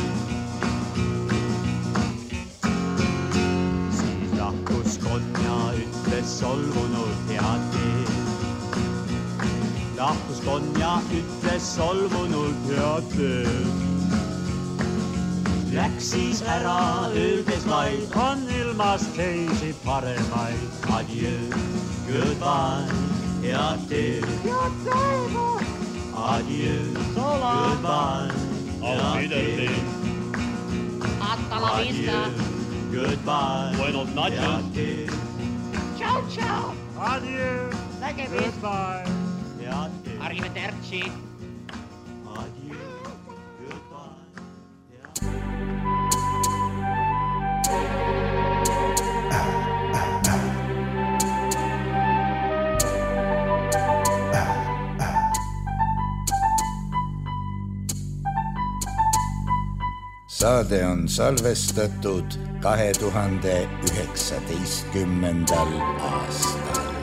Siis lahkus Kon ja ütles solvunult head teed. Lahkus Kon ja ütles solvunult head teed. Läks siis ära, öeldes vaid, on ilmas teisi paremaid. Adieu, goodbye, head teed. Head teed. Adieu, goodbye, head teed. Hasta la vista. Adieu, goodbye, buenos noches. Head teed. Ciao, ciao. Adieu, nägemist. Goodbye, head teed. Arrivederci. Adieu, goodbye. Saade on salvestatud kahe tuhande üheksateistkümnendal aastal.